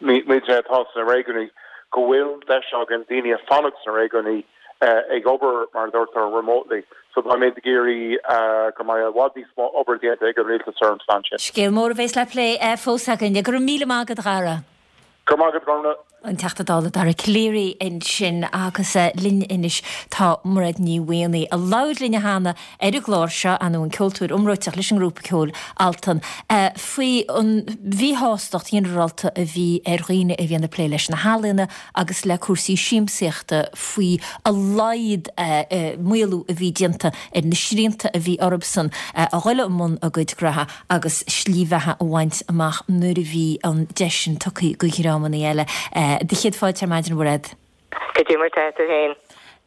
muidne atá sna réigiúin, go bhfuil deis againn daoine a fanacht sna réigiúin ag obair, mar a deirtear, remotely. So beimid ag iarraidh go mbeidh i bhfad níos mó obair déanta ag an rialtas ar an phlean sin. Scéal mór a bheas le plé fós againn. Go raibh míle maith agat, a Dhara. Go raibh maith agat, Gormlaith. An Teachta Dála Dara Calleary ansin agus linn anois tá Mairéad Ní Mhaonaigh a labhair linn cheana ar an gclár seo, ar ndóigh an ceoltóir iomráiteach leis an ngrúpa ceoil Altan, faoi an mhíshástacht ghinearálta a bhí ar dhaoine a bhíonn ag plé leis na healaíona agus le cúrsaí siamsaíochta faoi a laghad maolú a bhí déanta ar na srianta a bhí orthusan a dhul i mbun a gcuid gnoithe. agus slí bheatha a bhaint amach nuair a bhí an deis sin tugtha do dhreamanna eile. Do chéad fáilte ar maidin, a Mhairéad. Goidé mar tá tú féin?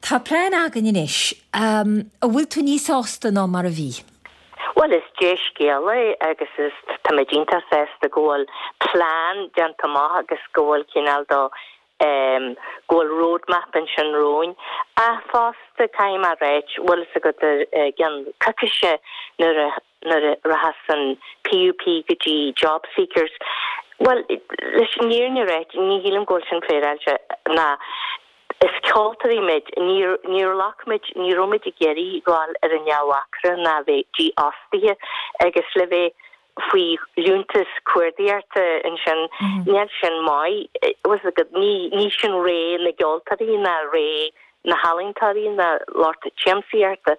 Tá plean againn anois. An bhfuil tú níos sásta ná mar a bhí? Bhuel, is dea-scéal é agus is tá muid iontach sásta go bhfuil plean déanta amach agus go bhfuil cineál do go bhfuil roadmap ansin romhainn. Ach fosta, caithfidh mé a ráit, bhfuil fhios agat i gceann coicíse nuair a nuair a rachas an PUP go dtí jobseekers, bhuel, leis an fhírinne a ráit, ní shílim go bhfuil sin féaráilte ná is ceoltóirí muid, níor, níor ghlac muid, ní raibh muid ag iarraidh ghabháil ar an neamh-mhacaire ná bheith dífhostaithe agus le bheith faoi liúntas cuardaíochta ansin, níl sin maith, bhfuil fhios agat, ní, ní sin ré na gceoltóirí ná ré na healaíontóirí ná lucht siamsaíochta.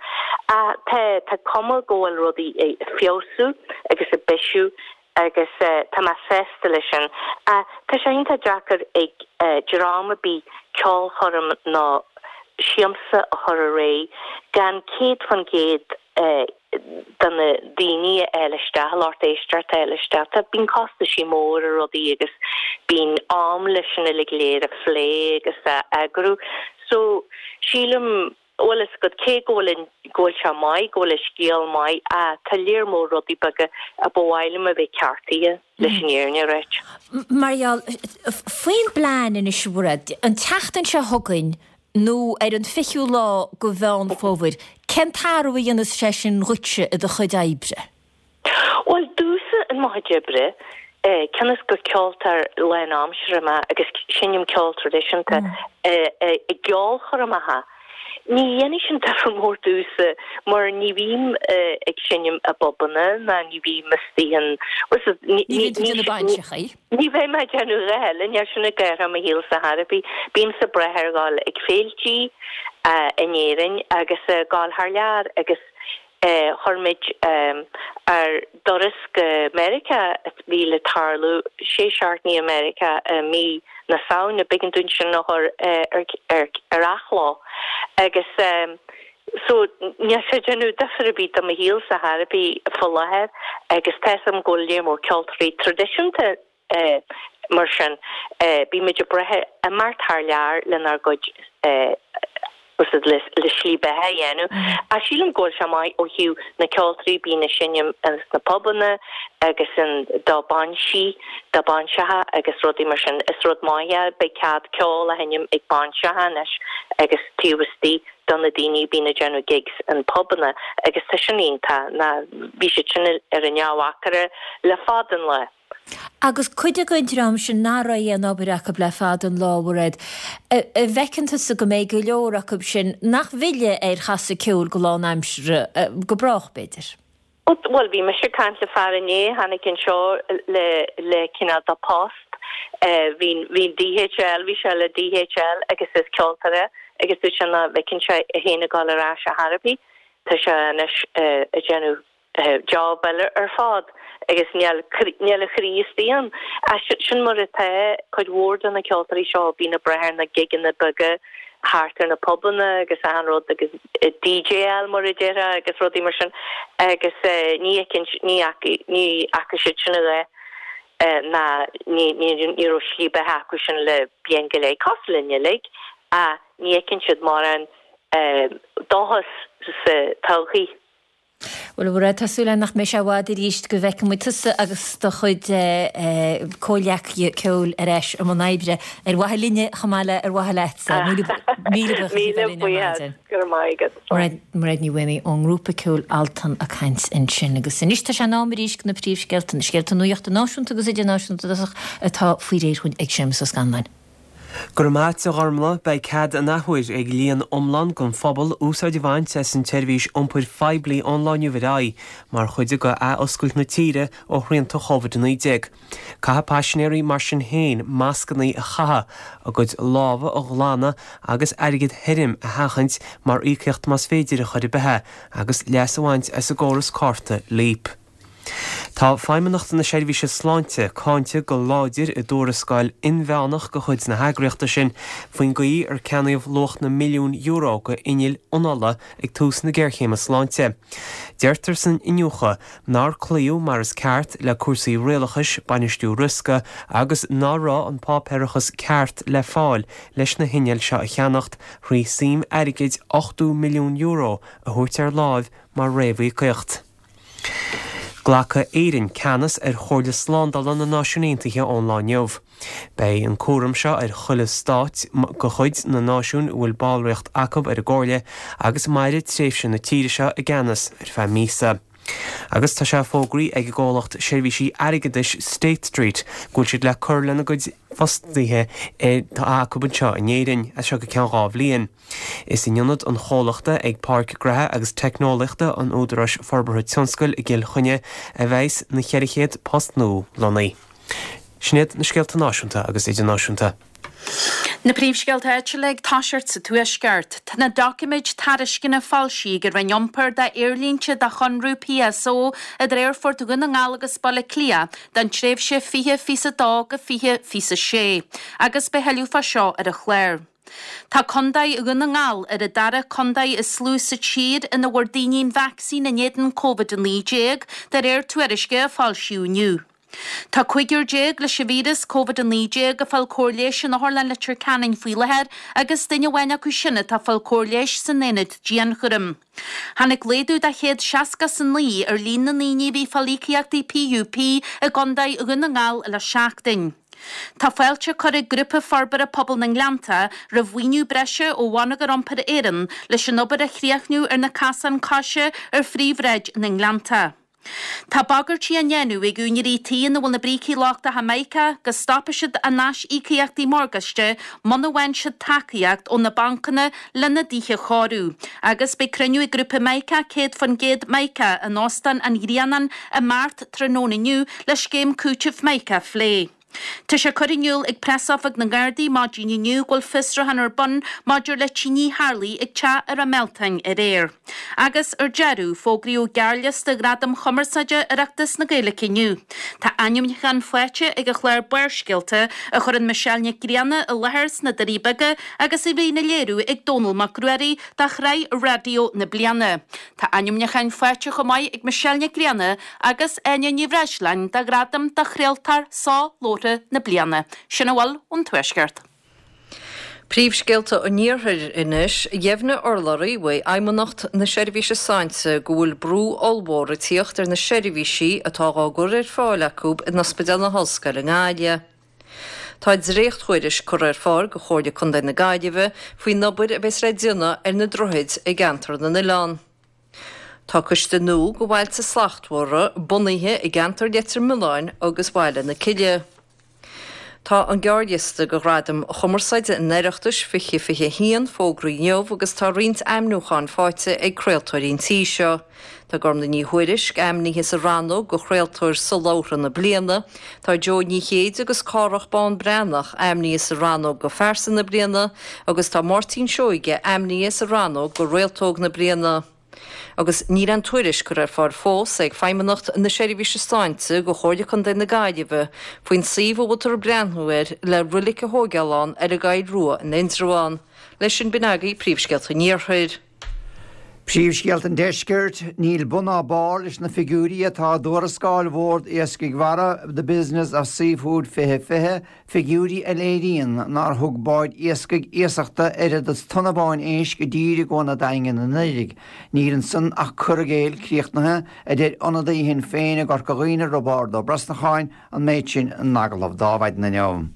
Ach tá, tá cuma go bhfuil rudaí ag feabhsú agus ag bisiú agus tá mé sásta leis sin. Ach tá sé iontach deacair ag dream ar bith ceolchoirm nó siamsa a chur ar aghaidh gan 100% de na daoine a fháil isteach, lucht éisteachta a fháil isteach. Tá, bíonn costaisí mór ar rudaí agus bíonn am leis sin uilig go léir a phlé agus a eagrú. So, sílim, bhfuil fhios agat, cé go bhfuil an, go bhfuil sé maith, go bhfuil an scéal maith, ah, tá léar mór rudaí beaga a ba mhaith liom a bheith ceartaithe, leis an fhírinne a ráit. Mar gheall, faoin bplean anois, a Mhairéad, an tseachtain seo chugainn, nó ar an 20ú lá de Mheán Fómhair, cén t-athrú a dhéanfas sé sin dhuitse i do chuid oibre? Bhuel, domhsa in mo chuid oibre, cionn is gur ceoltóir lánaimseartha mé agus seinnim ceol traidisiúnta i gceolchoirmeacha, ní dhéanfaidh sin difear mór domhsa mar ní bhím ag seinm i bpubanna ná ní bhím istigh in, Ní bhíonn tú ag déanamh bainseachaí. Ní bheidh mé ag déanamh a dhath eile, níl sin ag athrú mo shaolsa chor ar bith. Bímse ag brath ar dhul ag féiltí in Éirinn agus ag gabháil thar lear agus chuir muid ár dturas go Meiriceá a bhí le tarlú sé seachtainí i Meiriceá i mí na Samhna, b'éigean dúinn sin a chur ar athló agus So, níl sé ag déanamh difear ar bith do mo shaolsa chor ar bith faoi láthair agus tá 'fhios a'm go bhfuil léar mór ceoltóirí traidisiúnta mar sin. Bímid ag brath ar imeacht thar lear lenár gcuid le slí beatha a dhéanamh. Ach sílim go bhfuil sé maith ó thaobh na ceoltóirí, bíonn ag seinm ins na pubanna agus in do bainsí, do bainseacha agus rudaí mar sin. Is rud maith é, beidh cead ceol a sheinm ag bainseacha anois agus taobh istigh do na daoine a bíonn ag déanamh gigs in pubanna agus tá sin iontach ná bhí siad sin ar an neamh-mhacaire le fada an lá. Agus cuid den dream sin nach raibh aon obair acu le fada an lá, a Mhairéad, an bhfeiceann tusa go mbeidh go leor acu sin nach bhfillfidh ar chasadh ceoil go lánaimseartha, go brách b'fhéidir? Bhuel, bhí mise ag caint le fear inné a tháinig anseo le le cineál de post. Bhí bhí DHL, bhí sé le DHL agus is ceoltóir é agus dúirt sé nach bhfeiceann sé é féin ag dul ar ais ar chor ar bith. Tá sé anois ag déanamh job eile ar fad agus níl níl a chroí istigh ann. Sin mar atá cuid mhór de na ceoltóirí seo, bíonn ag brath ar na gigeanna beaga thart ar na pubanna agus achan rud agus DJáil mar a déarfá agus rudaí mar sin agus ní fheiceann, ní fhaca, ní fhaca siad sin a dhath ná ní, ní, ní raibh slí beatha acu sin le bliain go leith, cosúil linn uilig ach ní fheiceann siad mórán dóchas sa todhchaí. Bhuel, a Mhairéad, tá súil agam nach mbeidh sé i bhfad arís go bhfeicfidh muid tusa agus do chuid comhghleacaithe ceoil ar ais i mbun oibre, ar mhaithe linne chomh maith le ar mhaithe leatsa. Míle buíochas as a bheith linn ar maidin. Go raibh maith agat. Mairéad Ní Mhaonaigh ón ngrúpa ceoil Altan ag caint ansin. Agus anois tá sé in am arís do na príomhscéalta, na scéalta nuachta náisiúnta agus idirnáisiúnta i dtosach, atá faoi réir dhúinn ag Séamus Ó Scanláin. Go raibh maith a't a Ghormlaith. Beidh cead an athuair ag líon iomlán den phobal úsáid a bhaint as an tseirbhís iompair phoiblí ón lá inniu ar aghaidh mar chuid de athoscailt na tíre ó shrianta Covid-19. Caithfidh paisinéirí mar sin féin mascanna a chaitheamh, a gcuid lámha a ghlanadh agus airgead thirim a sheachaint mar íocaíocht más féidir ar chor ar bith é agus leas a bhaint as an gcóras cárta Leap. Tá Feidhmeannacht na Seirbhíse Sláinte cáinte go láidir i dtuarascáil inmheánach de chuid na heagraíochta sin faoin gcaoi ar ceannaíodh luach na milliún euro de innill anála ag tús na géarchéime sláinte. Deirtear san iniúchadh nár cloíodh mar is ceart le cúrsaí rialachais, bainistiú riosca agus ná raibh an páipéarachas ceart le fáil leis na hinnill seo a cheannacht thrí suim airgid €80 milliún a thabhairt ar láimh mar réamhíocaíocht. Glacfaidh Éirinn ceannas ar Chomhairle Slándála na Náisiún Aontaithe ón lá inniu. Beidh an cúram seo ar chuile stát de chuid na náisiún a bhfuil ballraíocht acu ar an gComhairle agus mairfidh tréimhse na tíre seo i gceannas ar feadh míosa. Agus tá sé fógraithe ag an gcomhlacht seirbhísí airgeadais State Street go bhfuil siad le cur lena gcuid fostaithe atá acu anseo in Éirinn as seo go ceann 2 bhliain. Is in ionad an chomhlachta ag Páirc Gnóthaí agus Teicneolaíochta an Údaráis Forbartha Tionscail i gCill Chainnigh a bheas na 400 post nua lonnaithe. Sin iad na scéalta náisiúnta agus idirnáisiúnta. Na príomhscéalta áitiúla ag toiseacht sa Tuaisceart. Tá na doiciméid tairisceana foilsithe ag an Roinn Iompair d'aerlínte do chonradh PSO idir Aerfort Dhún na nGall agus Baile Átha Cliath don tréimhse 2022-2026 agus beidh tuilleadh fá seo ar an chlár. Tá Contae Dhún na nGall ar an dara contae is lú sa tír ina bhfuair daoine an vacsaín in éadan Covid-19, de réir tuairisce a foilsíodh inniu. Tá cúigear déag leis an víreas Covid-19 ag fáil cóir leighis in Otharlann Leitir Ceanainn faoi láthair agus duine amháin acu sin atá ag fáil cóir leighis san aonad dianchúraim. Tháinig laghdú de 169 ar líon na ndaoine a bhí ag fáil íocaíochtaí PUP i gContae Dhún na nGall le seachtain. Tá fáilte curtha ag Grúpa Forbartha Pobail na nGleannta roimh mhaoiniú breise ó Bhonneagar Iompair Éireann leis an obair a chríochnú ar na casáin coise ar phríomhshráid na nGleannta. Tá bagairtí á ndéanamh ag úinéirí tí ina bhfuil na brící lochtacha mica go stopfaidh siad a n-aisíocaíochtaí morgáiste muna bhfaigheann siad tacaíocht ó na bancanna lena dtithe a chóiriú. Agus beidh cruinniú ag grúpa Mica 100% Mica in Óstán an Ghrianáin i mBeart tráthnóna inniu le scéim cúitimh Mica a phlé. Tá sé curtha in iúl ag Preasóifig na nGardaí maidin inniu go bhfuil fiosrúchán ar bun maidir le tine a tharlaigh ag teach i Ráth Mealtain aréir. Agus ar deireadh, fógraíodh gearrliosta Ghradaim Chumarsáide Oireachtas na Gaeilge inniu. Tá ainmniúchán faighte ag an chlár Barrscéalta a chuireann Michelle Nic Grianna i láthair sna Doirí Beaga agus a bhíonn á léiriú ag Dónall Mac Ruairí do Shraith Raidió na Bliana. Tá ainmniúcháin faighte chomh maith ag Michelle Nic Grianna agus Áine Ní Bhreisleáin do ghradam do Chraoltóir Solabhartha na Bliana. Sin a bhfuil ón Tuaisceart. Príomhscéalta an Iarthair anois. Dheimhnigh urlabhraí uaidh Fheidhmeannacht na Seirbhíse Sláinte go bhfuil brú ollmhór ag tíocht ar na seirbhísí atá dhá gcur ar fáil acu in Ospidéal na hOllscoile i nGaillimh. Tá dréacht-thuairisc curtha ar fáil go Chomhairle Contae na Gaillimhe faoin obair a bheas le déanamh ar na droichid i gceantar na n-oileán. Tá coiste nua go Bhailte Slachtmhara bunaithe i gceantar Leitir Mealláin agus Bhaile na Cille. Tá an gearrliosta go Ghradaim Chumarsáide an Oireachtais 2021 fógraithe inniu agus tá roinnt ainmniúchán faighte ag craoltóirí an tí seo. Tá Gormlaith Ní Thuairisg ainmnithe sa rannóg go Chraoltóir Solabhartha na Bliana, tá Joe Ní Chéide agus Cárthach Bán Breathnach ainmnithe sa rannóg go Phearsa na Bliana agus tá Máirtín Seoige ainmnithe sa rannóg go Réaltóg na Bliana. Agus níl aon tuairisc curtha ar fáil fós ag Feidhmeannacht na Seirbhíse Sláinte go Chomhairle Contae na Gaillimhe faoin suíomh a bhfuiltear ag breathnú air le roilic a thóigeáil ann ar an gCoill Rua in Indreabhán. Leis sin b'in agaibh príomhscéalta an Iarthair. Príomhscéalta an Deiscirt, Níl bun ná barr leis na figiúirí atá i dtuarascáil Bhord Iascaigh Mhara The Business of Seafood 2020, figiúirí a léiríonn nár thug báid iascaigh iasachta oiread is tonna amháin éisc i dtír i gCuan an Daingin anuraidh. Níl ansan ach cur i gcéill críochnaithe, a deir ionadaí Shinn Féin i gCorca Dhuibhne, Roibeárd Ó Brosnacháin, an méid sin in agallamh dó maidin inniu.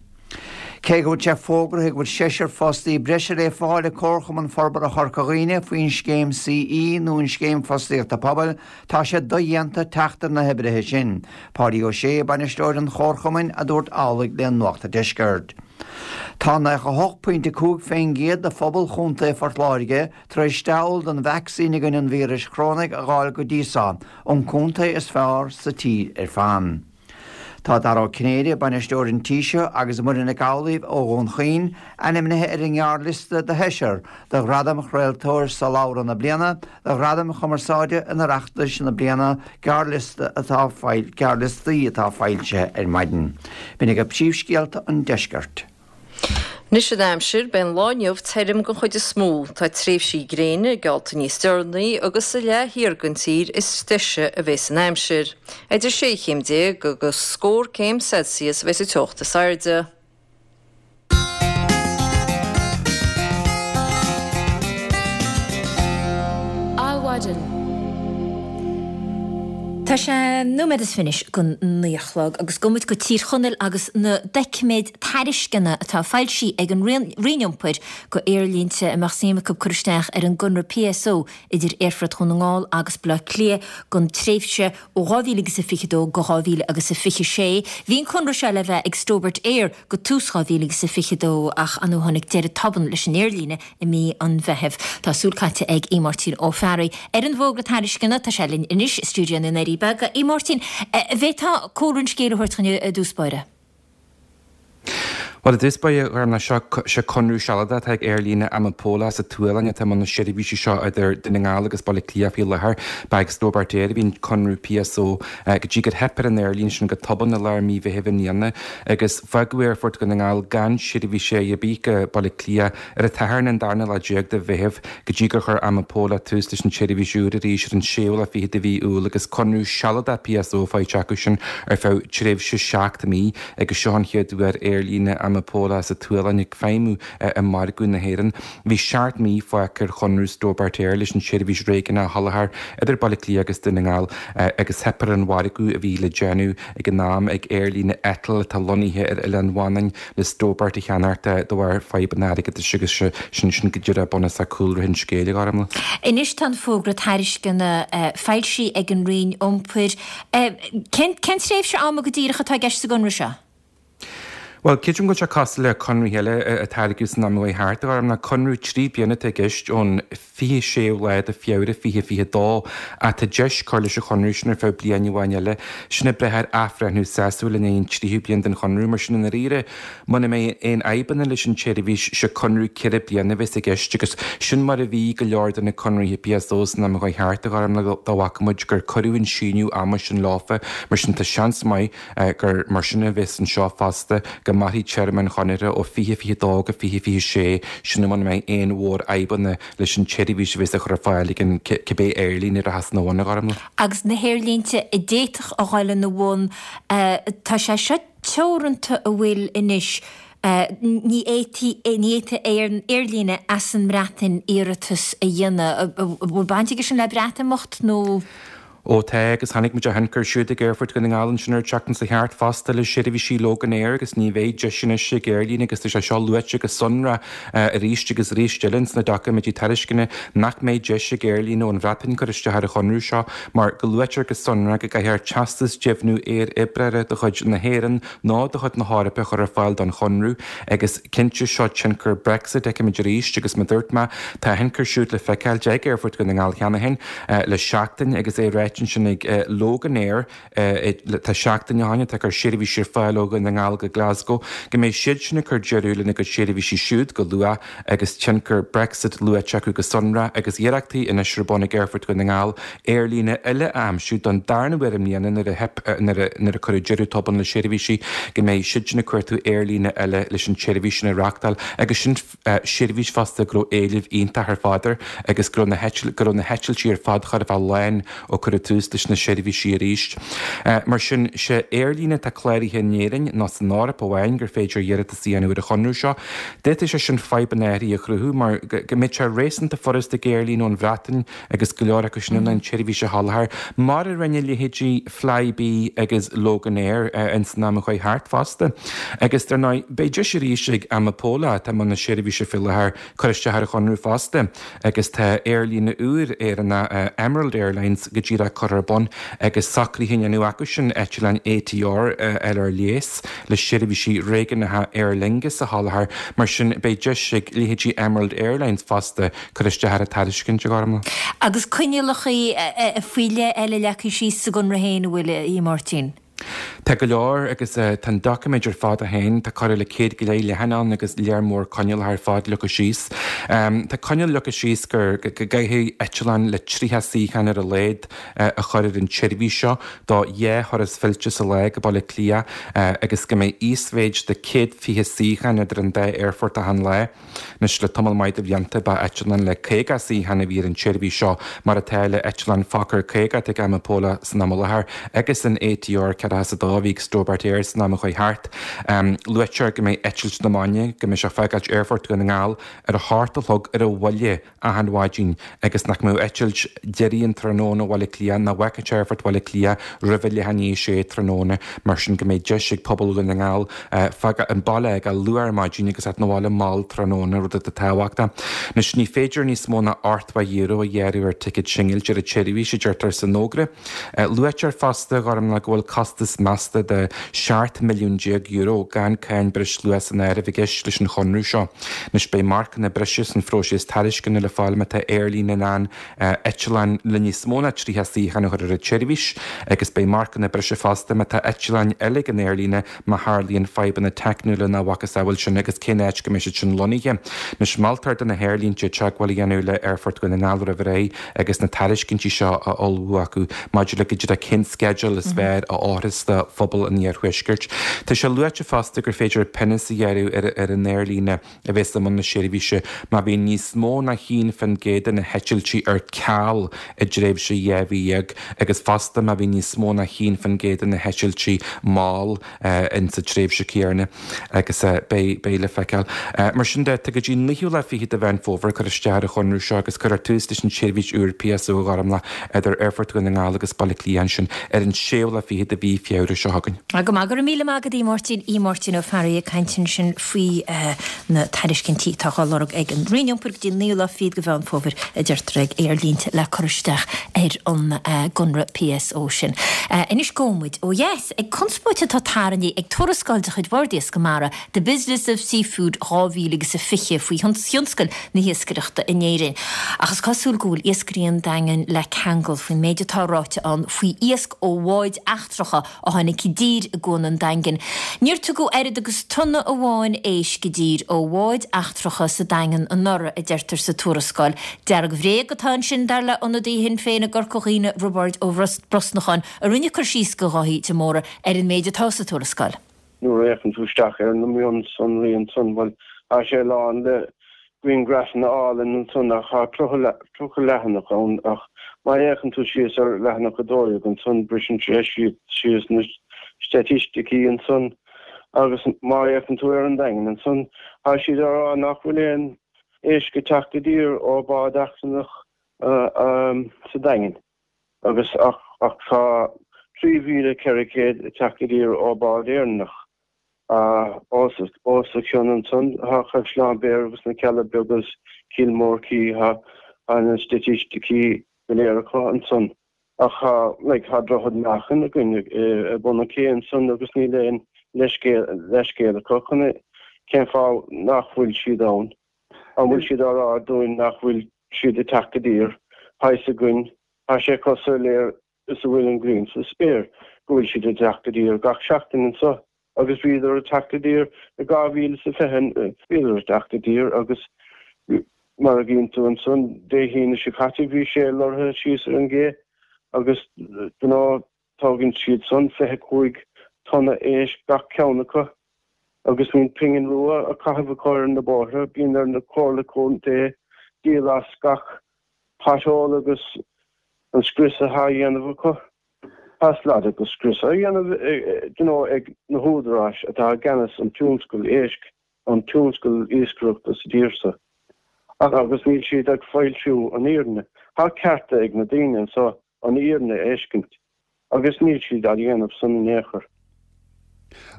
Cé go bhfuil sé fógraithe go bhfuil seisear fostaí breise le fáil ag Comharchumann Forbartha Chorca Dhuibhne faoin scéim CE nó an Scéim Fostaíochta Pobail, tá sé dodhéanta teacht ar na hoibrithe sin. Páidí Ó Sé, bainisteoir an Chomharchumainn, a dúirt amhlaidh le Nuacht an Deiscirt. Tá 98.5% de phobal Chontae Phort Láirge tar éis steall den vacsaín i gcoinne an víris chorónaigh a dh'fháil go dtí so, an contae is fearr sa tír ar fad. Tá Dara Ó Cinnéide, bainisteoir an tí seo, agus Muireann Nic Amhlaoibh ó Dhún Chaoin ainmnithe ar an ngearrliosta do sheisear do Ghradaim Chraoltóir Sollabhra na Bliana do Ghradaim Chumarsáide an Oireachtais na bliana, gearrliosta atá gearrliostaí atá foilsithe ar maidin. B'in agaibh príomhscéalta an deiscirt. Anois an aimsir, beidh an lá inniu tirim den chuid is mó. Tá tréimhsí gréine geallta níos deireanaí agus sa leath thiar den tír is deise a bheas an aimsir. Idir 16 chéim agus scór céim Celsius a bheas an teocht is airde. Adhmhaidin. Tá sé nóiméad is fiche don naoi a chlog agus gabhfaidh muid go Tír Chonaill agus na doiciméid tairisceana atá foilsithe ag an Roinn Iompair go aerlínte a mbeadh suim acu cur isteach ar an gconradh PSO idir Aerfort Dhún na nGall agus Baile Átha Cliath don tréimhse ó 2000 agus a 22 go 2000 agus a 26. Bhí an conradh seo le bheith ag Stobart Air go tús 2000 agus a 22 ach ar ndóigh tháinig deireadh tobann leis an aerlíne i mí an Mheithimh. Tá súil caite ag Aodh Máirtín Ó Fearraigh ar an bhfógra tairisceana. Tá sé linn anois i stiúideo na nDoirí Beaga. A Mháirtín, an bhféadfá cúlra an scéil a thabhairt dhúinn i dtús báire? Bhuel, i dtús báire, a Ghormfhlaith, seo, seo conradh sealadach atá ag aerlíne Amapola sa tSualainn atá i mbun na seirbhísí seo idir Dún na nGall agus Baile Átha Cliath faoi láthair. Ba ag Stobart Air a bhí an conradh PSO go dtí gur theip ar an aerlíne sin go tobann i lár mí Mheithimh i mbliana agus fágadh Aerfort Dhún na nGall gan seirbhís ar bith go Baile Átha Cliath Ar an tSatharn an darna lá déag de Mheitheamh, go dtí gur chuir Amapola tús leis an tseirbhís úr arís ar an séú lá fichead de mhí Iúil agus conradh sealadach PSO faighte acu sin ar feadh tréimhse 7 mí agus seo an chéad uair aerlíne Amapola sa tSualainn ag feidhmiú i margadh na hÉireann. Bhí seacht mí fágtha ar chonradh Stobart Air leis an tseirbhís réigiúnach a sholáthar idir Baile Átha Cliath agus Dún na nGall agus theip ar an mhargadh a bhí le déanamh ag an am ag aerlíne Eitil atá lonnaithe ar Oileán Mhanainn le Stobart a cheannacht de bharr fadhbanna airgeadais agus sin sin go díreach bunúsach cúlra an scéil, a Ghormfhlaith. Anois tá an fógra tairisceana foilsithe ag an Roinn Iompair. Cén tréimhse ama go díreach atá i gceist sa gconradh seo? Bhuel, creidim go bhfuil sé cosúil le conraithe eile a tairgeadh san am a chuaigh thart, a Ghormfhlaith. Conradh 3 bliana atá i gceist ón 26ú lá de Feabhra 2022 ach tá deis cur leis an chonradh sin ar feadh bliain amháin eile. Sin ag brath ar athbhreithniú sásúil i ndiaidh an tríú bliain den chonradh. Mar sin, i ndáiríre, muna mbeidh aon fhadhbanna leis an tseirbhís, sé conradh ceithre bliana a bheas i gceist agus sin mar a bhí go leor de na conraithe PSO san am a chuaigh thart, a Ghormfhlaith, dá bhfaca muid gur cuireadh an síneadh ama sin leofa. Mar sin, tá seans maith gur mar sin a bheas anseo fosta, go mairfidh téarma an chonartha ó 2022 go 2026, sin muna mbeidh aon mhórfhadhbanna leis an tseirbhís a bheas á chur ar fáil ag an cibé aerlíne a rachas ina bhun, a Ghormfhlaith. Agus na haerlínte a d'fhéadfadh a dhul ina bhun, tá sé seo teoranta an bhfuil anois, ní fhéadfaidh, ní fhéadfaidh aon aerlíne as an mBreatain iarratas a dhéanamh. An bhfuil baint aige sin le Breatimeacht nó? Ó tá, agus chonaic muid a thionchar siúd ag Aerfort Dhún na nGall ansin ar an tseachtain seo thart fosta le seirbhísí Loganair agus ní bheidh deis anois ag aerlíne agus tá sé seo luaite go sonrath arís agus arís eile ins na doiciméidí tairisceana nach mbeidh deis ag aerlíne ón Bhreatain cur isteach ar an chonradh seo mar go luaitear go sonrath go gcaithfear teastas deimhniú aer-oibreora de chuid na hÉireann nó de chuid na hEorpa a chur ar fáil don chonradh agus cinnte seo tionchar Brexit feicimid arís agus mar a dúirt mé tá a thionchar siúd le feiceáil ag Aerfort Dhún na nGall cheana féin le seachtain agus é ráite ansin ag Loganair tá seachtain ó shin atá ag cur seirbhísí ar fáil ó Dhún na nGall go Glasgow go mbeidh siad sin ag cur deireadh lena gcuid seirbhísí siúd go luath agus tionchar Brexit luaite acu go sonrath agus iarrachtaí anois ar bun ag Aerfort Dhún na nGall aerlíne eile a aimsiú don darna huair i mbliana nuair a theip nuair a cuireadh deireadh tobann le seirbhísí go mbeidh siad sin ag cuartú aerlíne eile leis an tseirbhís sin a reáchtáil agus sin seirbhís fosta go raibh éileamh iontach ar fad air agus go raibh na go raibh na heitiltí ar fad chóir a bheith lán ó cuireadh tús leis na seirbhísí arís. Mar sin, sé aerlíne atá cláraithe in Éirinn nó san Eoraip amháin gur féidir iarratas a dhéanamh ar an chonradh seo. D'fhéadfadh sé sin fadhbanna áirithe a chruthú mar go mbeadh sé réasúnta furasta ag aerlíne ón Bhreatain agus go leor acu sin in ann an tseirbhís a sholáthar, mar a rinne leithéidí Flybe agus Loganair ins an am a chuaigh thart fosta. Agus dar ndóigh, beidh deis arís ag Amapola, atá i mbun na seirbhíse faoi láthair, cur isteach ar an chonradh fosta. Agus tá aerlíne úr Éireannach, Emerald Airlines, go díreach. bheith curtha ar bun agus socruithe á ndéanamh acu sin eitleáin ATR a fháil ar léas le seirbhísí réigiúnacha Aer Lingus a sholáthar. Mar sin, beidh deis ag leithéidí Emerald Airlines fosta cur isteach ar an tairiscint, a Ghormlaith. Agus coinníollacha faoi leith eile leagtha síos sa gconradh féin, an bhfuil, a Mháirtín? Tá go leor agus tá an doiciméad ar fad é féin, tá corradh le 100 go leith leathanach ann agus léar mór coinníollacha ar fad leagtha síos. Tá coinníoll leagtha síos gur go gcaithfidh eitleán le 30 suíochán ar a laghad a chur ar an tseirbhís seo do dhá thuras fillte sa lá go Baile Átha Cliath agus go mbeidh íosmhéid de 120 suíochán idir an dá aerfort achan lá. Anois, le tamall maith de bhlianta, ba eitleán le 50 suíochán a bhí ar an tseirbhís seo, mar atá le eitleán Fokker 50 atá ag Amapola san am i láthair agus an ATR 42 a bhí ag Stobart Air san am a chuaigh thart. Luaitear go mbeidh eitilt na maidine, go mbeidh sé ag fágáilt Aerfort Dhún na nGall ar a hocht a chlog ar an bhuille, achan mhaidin agus nach mbeadh eitilt deiridh an tráthnóna ó Bhaile Átha Cliath nach bhfágfadh Aerfort Bhaile Átha Cliath roimh a leath i ndiaidh a sé tráthnóna, mar sin go mbeidh deis ag pobal Dhún na nGall fágáil an baile a fhágáil luath ar maidin agus theacht 'na bhaile mall tráthnóna, rud atá tábhachtach. Anois ní féidir níos mó ná €80 a ghearradh ar ticéad singilte ar an tseirbhís, a deirtear san fhógra. Luaitear fosta, a Ghormlaith, go bhfuil costas measta de €17 milliún gan cáin breisluacha san áireamh i gceist leis an chonradh seo. Anois beidh marcanna breise san phróiseas tairisceana le fáil má tá aerlíne in ann eitleáin le níos mó ná 30 suíochán a chur ar an tseirbhís agus beidh marcanna breise fosta má tá eitleáin eile ag an aerlíne má tharlaíonn fadhbanna teicniúla nó a mhacasamhail sin agus cén áit go mbeidh siad sin lonnaithe. Anois moltar do na haerlínte teagmháil a dhéanamh le Aerfort Dhún na nGall roimh ré agus na tairiscintí seo á ullmhú acu maidir le go díreach cén sceideal is fearr a fhóirfeas do phobal an iarthuaiscirt. Tá sé luaite fosta gur féidir pionós a ghearradh ar an aerlíne a bheas i mbun na seirbhíse má bhíonn níos mó ná 1% de na heitiltí ar ceal i dtréimhse 12 mhí agus fosta má bhíonn níos mó ná 1% de na heitiltí mall insa tréimhse chéanna agus beidh beidh le feiceáil. Mar sin de, tá go dtí an naoú lá fichead de Mheán Fómhair cur isteach ar an chonradh seo agus cuirfear tús leis an tseirbhís úr PSO a Ghormlaith idir Aerfort Dhún na nGall agus Baile Átha Cliath ansin ar an séú lá fichead de mhí Feabhra seo chugainn. Go maith, go raibh míle maith agat a Mháirtín, a Mháirtín Ó Fearraigh ag caint ansin faoi na tairiscintí atá á lorg ag an Roinn Iompair go dtí an naoú lá fichead de Mheán Fómhair a deirtear ag aerlínte le cur isteach ar an gconradh PSO sin. Anois gabhfaidh muid ó dheas ag conspóid atá tarraingthe ag tuarascáil de chuid Bhord Iascaigh Mara, The Business of Seafood 2020 faoi thionscal na hiascaireachta in Éirinn. Ach is cosúil go bhfuil iascairí an Daingin le ceangal faoin méid atá ráite ann faoi iasc ó bháid eachtracha a tháinig i dtír i gCuan an Daingin. Níor tugadh oiread agus tonna amháin éisc i dtír ó bháid eachtracha sa Daingean anuraidh, a deirtear sa tuarascáil. Dearg-bhréag atá ansin, dar le ionadaí Shinn Féin i gCorca Dhuibhne, Roibeárd Ó Brosnacháin, a rinne cur síos do Dháithí de Mórdha ar an méid atá sa tuarascáil. Nuair a fhéachann tú isteach ar na mionsonraí ansan, bhuel, tá sé lán le grianghrafanna álainn ansan ach tá 30 leathanach ann ach má fhéachann tú síos ar leathanach 12 ansan, briseann sé síos na staitisticí ansan agus má fhéachann tú ar an Daingean ansan, tá siad á rá nach bhfuil aon éisc ag teacht i dtír ó bád eachtrannach sa Daingean agus ach ach tá 3,400 ag teacht i dtír ó bád Éireannach. Os a chionn ansan tá Caisleán Bhéarra agus na Cealla Beaga is Cill Mór Cí, tá na staitisticí go léir acu ansan. Ach tá, like, tá Droichead Meáchain againn i bun an cé ansan agus níl aon leithscéal acu chun cén fáth nach bhfuil siad ann. An bhfuil siad á rá dúinn nach bhfuil siad ag teacht i dtír? Tá fhios againn, tá sé chomh soiléir is a bhfuil an ghrian sa spéir go bhfuil siad ag teacht i dtír gach seachtain anseo agus bhíodar ag teacht i dtír i 2020, bhíodar ag teacht i dtír agus mar a gcíonn tú ansan Dé hAoine seo caite bhí sé lorraithe síos ar an gcé agus you know tógann siad san 25 tonna éisc gach ceann acu agus níl pingin rua á caitheamh acu ar na bóithre, bíonn ar na comhairle contae díol as gach pothole agus an scrios atá á dhéanamh acu. Tá slad agus scrios á dhéanamh you know ag na húdaráis atá i gceannas an tionscal éisc, an tionscal iascaireachta sa tír seo. Agus níl siad ag foilsiú an fhírinne. Tá cearta ag na daoine anseo an fhírinne a fheiscint agus níl siad á dhéanamh san in aon chor.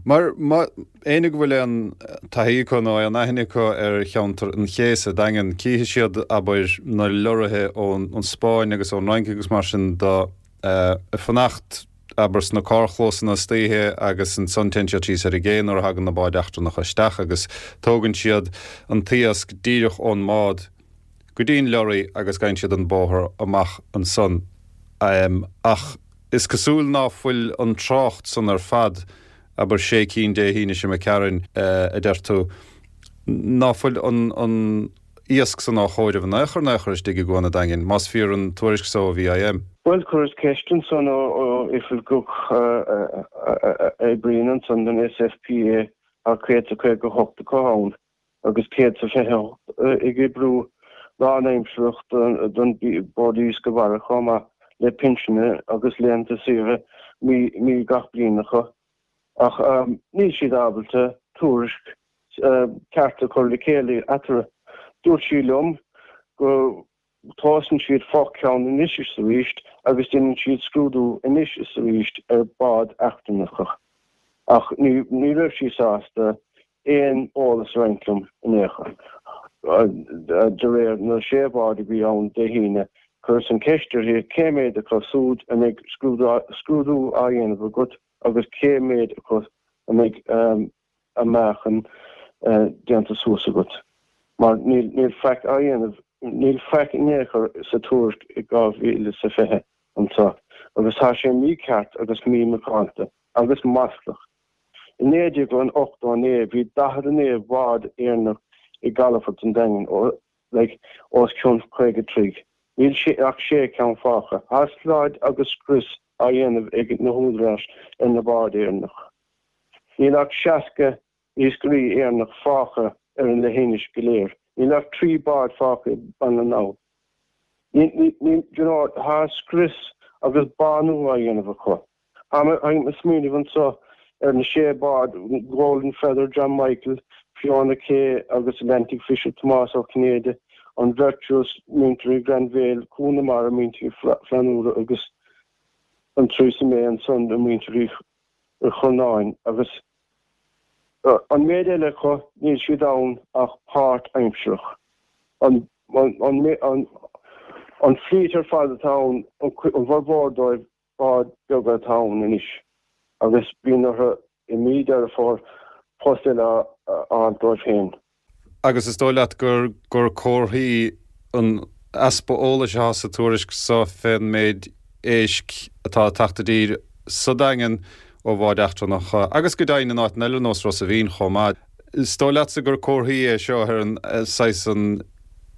Mar, má, éinne go bhfuil aon taithí acu nó aon aithne acu ar cheantar an Ché sa Daingean, cífidh siad, abair, na leoraithe ón Spáinn agus ón Fhrainc agus mar sin de. ag fanacht, abair, sna carrchlósanna istoíche agus ansan téann siad síos ar an gcé nuair a thagann na báid eachtrannacha isteach agus tógann siad an t-iasc díreach ón mbád go dtí an leoraí agus gabhann siad an bóthar amach ansan. Ach is cosúil ná fuil an trácht san ar fad, abair sé cinn Dé hAoine seo imigh tharainn, a deir tú, ná fuil an iasc san á chomhaireamh in aon chor in aon chor istigh i gCuan an Daingin, más fíor an tuairisc so ó VIM. Bhuel, chuireas ceist ansan ó oifigeach a oibríonn ansan don SFPA, tá 158 acu ann agus 128 ag oibriú lánaimsearach don Bord Iascaigh Mhara chomh maith le pinsin agus laethanta saoire mí gach bliain acu. Ach níl siad ábalta tuairisc ceart a chur le chéile eatarthu. Dúirt sí liom go dtomhaiseann siad fo-cheann anois is arís agus déanann siad scrúdú anois is arís ar bháid eachtrannacha. Ach ní raibh sí sásta aon eolas a roinnt liom in aon chor. De réir na sé bhád a bhí ann Dé hAoine, chuireas an cheist uirthi cé mhéad acu súd a mbeidh scrúdú á dhéanamh agat agus cé mhéad acu a mbeidh a meáchan déanta suas agat, mar níl faic á dhéanamh, níl faic in aon chor sa tuairisc i 2020 anseo agus tá sé mícheart agus mímhacánta agus maslach. I 1989 bhí 49 bhád Éireannach i gcalafort an Daingin, like, os cionn 50 troigh. Níl ach sé ceann fágtha. Tá slad agus scrios á dhéanamh ag na húdaráis ar na báid Éireannach. Níl ach 60 iascairí Éireannach fágtha ar an leithinis go léir. Níl ach 3 bád fágtha i Baile na nGall. Ní, ní, ní, you know, tá scrios agus bánú á dhéanamh acu. Táim ag smaoineamh anseo ar na sé bád, Golden Feather, John Michael, Fiona K agus Atlantic Fisher, Tomás Ó Cinnéide, an Virtuous, muintir Uí Ghrainbhéil, Cú na Mara, muintir Uí Flannúra agus an Theresa May ansan, muintir Uí Churnáin agus an méid eile acu, níl siad ann ach páirt-aimsearach. An an fleet ar fad atá ann, an bhformhór dóibh, báid beaga atá ann anois agus bíonn orthu i mí Deireadh Fómhair post eile a fháil dóibh féin. Agus is dóigh leat gur gur comharthaí an easpa eolais atá sa tuairisc so fén méid éisc atá ag teacht i dtír sa Daingean ó bháid eachtrannacha agus go deimhin in áiteanna eile ar nós Ros a' Mhíl chomh maith. Is dóigh leatsa gur comharthaí é seo ar an saghas an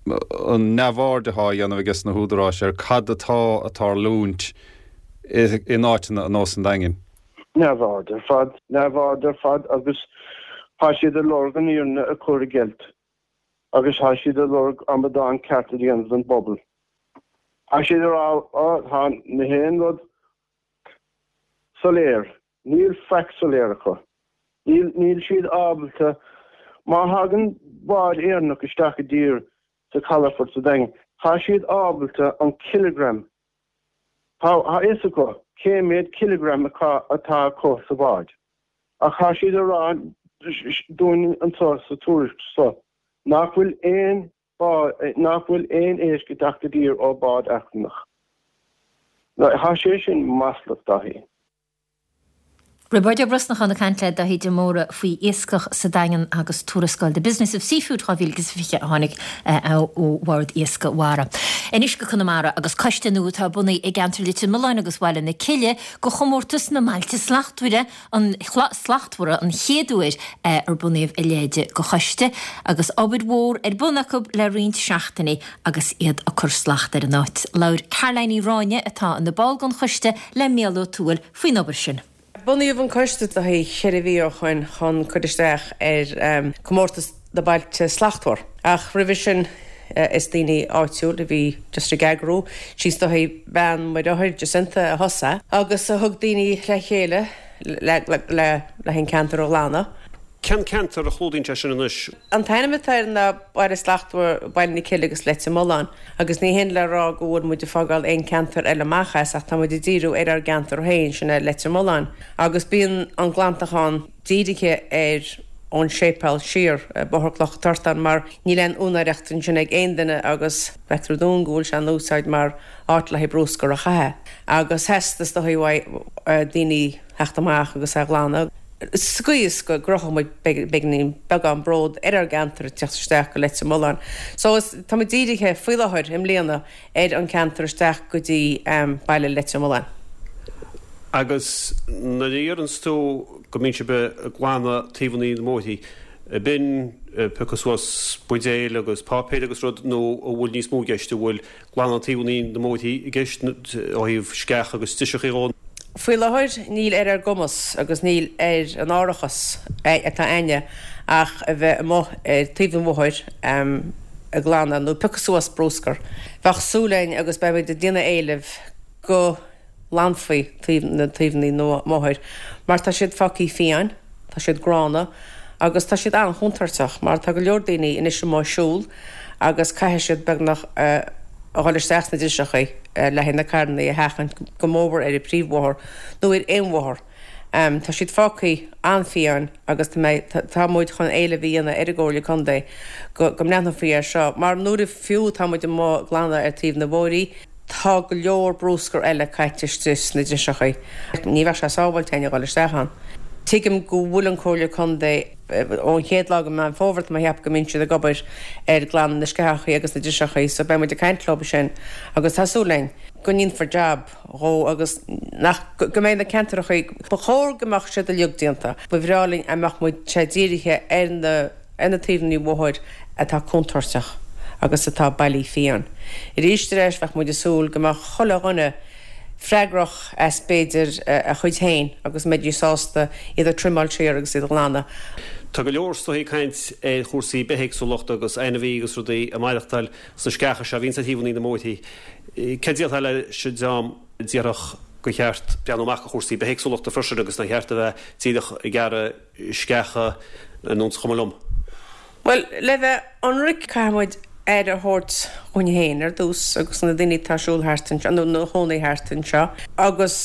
an neamhaird atá á dhéanamh ages na húdaráis ar cad atá ag tarlúint in áiteanna ar nós an Daingin? Neamhaird ar fad, neamhaird ar fad agus tá siad ag lorg an fhírinne a chur i gceilt agus tá siad ag lorg amadán ceart a dhéanamh den bpobal. Tá siad ag rá, ó, tá na haon rud soiléir, níl faic soiléir acu. Níl, níl siad ábalta, má thagann bád Éireannach isteach i dtír sa chalafort sa Daingean, tá siad ábalta an kilogram, tá a fhios acu cé méad kilogram atá acu sa bhád. Ach tá siad ag rá dúinn anseo sa tuairisc seo nach bhfuil aon bád, nach bhfuil aon éisc ag teacht i dtír ó bád eachtrannach. Tá sé sin maslach, Dáithí. Roibeárd Ó Brosnacháin ag caint le Dáithí de Mórdha faoi iascach sa Daingean agus tuarascáil The Business of Seafood 2020 a tháinig ó Bhord Iascaigh Mhara. Anois go Conamara agus coiste nua atá bunaithe i gceantar Leitir Mealláin agus Bhaile na Cille go chomórtas na mBailte Slachtmhara an Slachtmhara an chéad uair ar bunaíodh a leithéid de choiste agus obair mhór ar bun acu le roinnt seachtainí agus iad ag cur slacht ar an áit. Labhair Caroline Ní Ráinne atá ina ball den choiste le Mícheál Ó Tuathail faoin obair sin. Bunaíodh an coiste 4 mhí ó shoin chun cur isteach ar comórtas na Bailte Slachtmhar. Ach roimhe sin is daoine áitiúil a bhí just ag eagrú. Sí is dóichí bean Mhuire Jacinta a thosaigh agus a thug daoine le chéile le le le an ceantar a ghlanadh. Cén ceantar a chlúdaíonn sé sin anois? An t-ainm atá air ná Baile Slachtmhar Baile na Cille agus Leitir Mealláin agus ní hin le rá go bhfuil muid ag fágáil aon ceantar eile amach as ach tá muid ag díriú ar ár gceantar féin, sin é Leitir Mealláin. Agus bíonn an glantachán dírithe ar. ón séipéal siar, Bóthar Cloch an Tortáin, mar níl aon úinéireacht ansin ag aon duine agus feictear dúinn go bhfuil sé in úsáid mar áit le haghaidh brúscar a chaitheamh. Agus theastaigh is dóigh uaidh daoine theacht amach agus é a ghlanadh. Sa gcaoi is go gcruthódh muid beagáinín beagán bród ar ár gceantar ag teacht isteach go Leitir Mealláin. So is tá muid dírithe faoi láthair i mbliana ar an ceantar isteach go dtí baile Leitir Mealláin. Agus nuair a dheireanns tú go mbíonn sibh ag glanadh taobhanna na mbóithrí, b'in piocadh suas buidéil agus páipéir agus rud nó an bhfuil níos mó i gceist, an bhfuil glanadh taobhanna na mbóithrí i gceist ó thaobh sceach agus driseachaí dhó? Faoi láthair níl ar ár gcumas agus níl ar an árachas atá a'inne ach a bheith amuigh ar taobh an bhóthair ag glanadh nó piocadh suas brúscar. Bheadh súil a'inn agus beimid ag déanamh éilimh go nglanfaí taobh na taobhanna na mbóthair mar tá siad fágthaí fiáin, tá siad gránna agus tá siad an-chontúirteach mar tá go leor daoine anois amuigh ag siúl agus caithfidh siad beagnach a dhul isteach sna driseachaí le haghaidh na carrannaí a sheachaint go mórmhór ar an príomhbhóthar nó ar aon bhóthar. Tá siad fágthaí an-fhiáin agus tá mé, tá muid chun éileamh a dhéanamh ar an gComhairle Contae go go mbreathnófaí air seo mar nuair a fiú tá muid amuigh ag glanadh ar taobh na bhóithrí, tá go leor brúscar eile caite istigh sna driseachaí. Ní bheadh sé sábháilte éinne a dhul isteach ann. Tuigim go bhfuil an Comhairle Contae ón chéad lá de Meán Fómhair tá mé a cheapadh go mbíonn siad ag obair ar glanadh na sceachaí agus na driseachaí so beidh muid ag caint leo sin agus tá súil againn go ndéanfar jab dhó agus nach, go mbeidh na ceantrachaí, ba chóir go mbeadh siad uilig déanta. Ba bhreá linn a mbeadh muid, sé dírithe ar na, ar na taobhanna bóthair atá contúirteach agus atá bailithe fiáin. Arís ar ais bheadh muid ag súil go mbeadh chuile dhuine freagrach as b'fhéidir a chuid féin agus mbeidís sásta iad a trimeáil siar agus iad a ghlanadh. Tá go leor is dóichí ag caint ar chúrsaí bithéagsúlachta agus ainmhí agus rudaí ag maireachtáil sna sceacha seo a bhíonns ar thaobhanna na mbóithrí. Céard a déarfá leis an dream a déarfadh gur cheart breathnú amach do chúrsaí bithéagsúlachta freisin agus nár cheart a bheith díreach ag gearradh sceacha nó an cuma liom? Bhuel, le bheith ionraic, caithfidh muid aire a thabhairt dhúinn féin ar dtús agus na daoine atá ag siúl thart anseo, nó ina chónaí thart anseo agus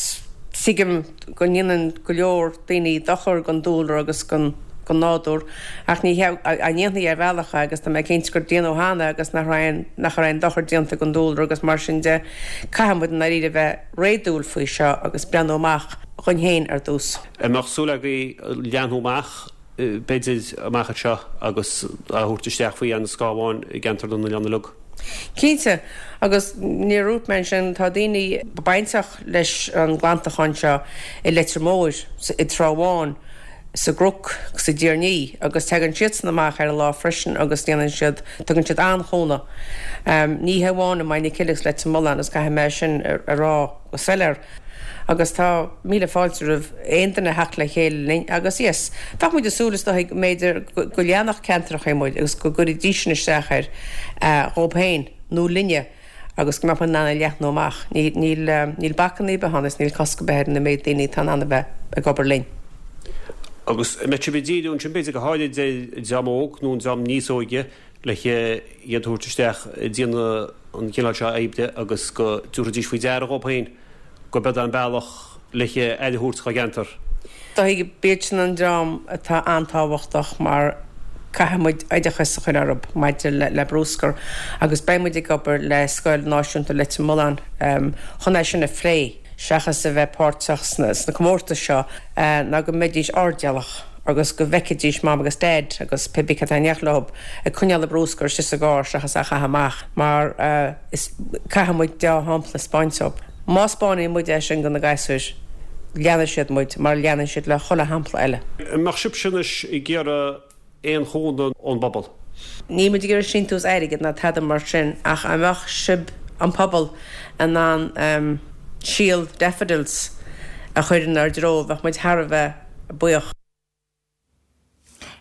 tuigim go ndéanann go leor daoine dochar don dúlra agus don nádúr ach ní hea a ndéanfaí ar bhealach é agus tá mé cinnte gur déanadh cheana agus nach raibh aon nach raibh aon dochar déanta don dúlra agus mar sin de caithfidh muid i ndáiríre bheith réadúil faoi seo agus breathnú amach dhuinn féin ar dtús. An mbeadh súil agaibh leathnú amach b'fhéidir amach anseo agus a thabhairt isteach faoi an scáth amháin i gceantar na n-oileán uilig? Cinnte, agus níor dhúirt mé ansin, tá daoine bainteach leis an nglantachán seo i Leitir Móir, i dTrá Bháin, sa gCnoc, sa dTír an Fhia agus tagann siadsan amach ar an lá freisin agus déanann siad, tugann siad an-chúnamh. Ní hamháin i Maigh na Cille agus Leitir Mealláin agus caithfidh mé sin a rá go soiléir. Agus tá míle fáilte roimh aon duine a theacht le chéile linn agus yes, bheadh muid ag súil is dóigh go mb'fhéidir go leanfadh ceantracha muid agus go gcuirfidísean isteach air dhób féin nó linne agus go mbeadh muid in ann é a leathnú amach. Níl, níl bacanna ar bith ann is níl cosc ar bith ar na méid daoine atá in ann a bheith ag obair linn. Agus an mbeidh sibh ag díriú ansin b'fhéidir go háirid ar an dream óg nó an dream níos óige le iad a thabhairt isteach ag déanamh an chineál seo oibre agus go dtabharfaidís faoi deara dhóibh féin gurb é an bealach le aire a thabhairt dhá gceantar. Dóigh, b'iad sin an dream atá an-tábhachtach mar caithfidh muid oideachas a chur orthu maidir le brúscar agus beidh muid ag obair le Scoil Náisiúnta Leitir Mealláin chun é sin a phlé seachas a bheith páirteach sna comórtais seo ná go mbeidís airdeallach agus go bhfeicfidís Mam agus Dad agus pé bith cé atá in éineacht leo ag coinneáil an brúscar istigh sa gcarr seachas á chaitheamh amach mar is caithfidh muid dea-shampla a 'speáint dóibh. Má 'speánann muid é sin do na gasúir leanfaidh siad muid mar leanann siad le chuile shampla eile. An mbeadh sibhse anois ag iarraidh aon chúnamh ón bpobal? Níl muid ag iarraidh síntiús airgid ná tada mar sin ach an mbeadh sibh, an pobal, in ann síol daffodils a chur inár dtreo, bheadh muid thar a bheith buíoch.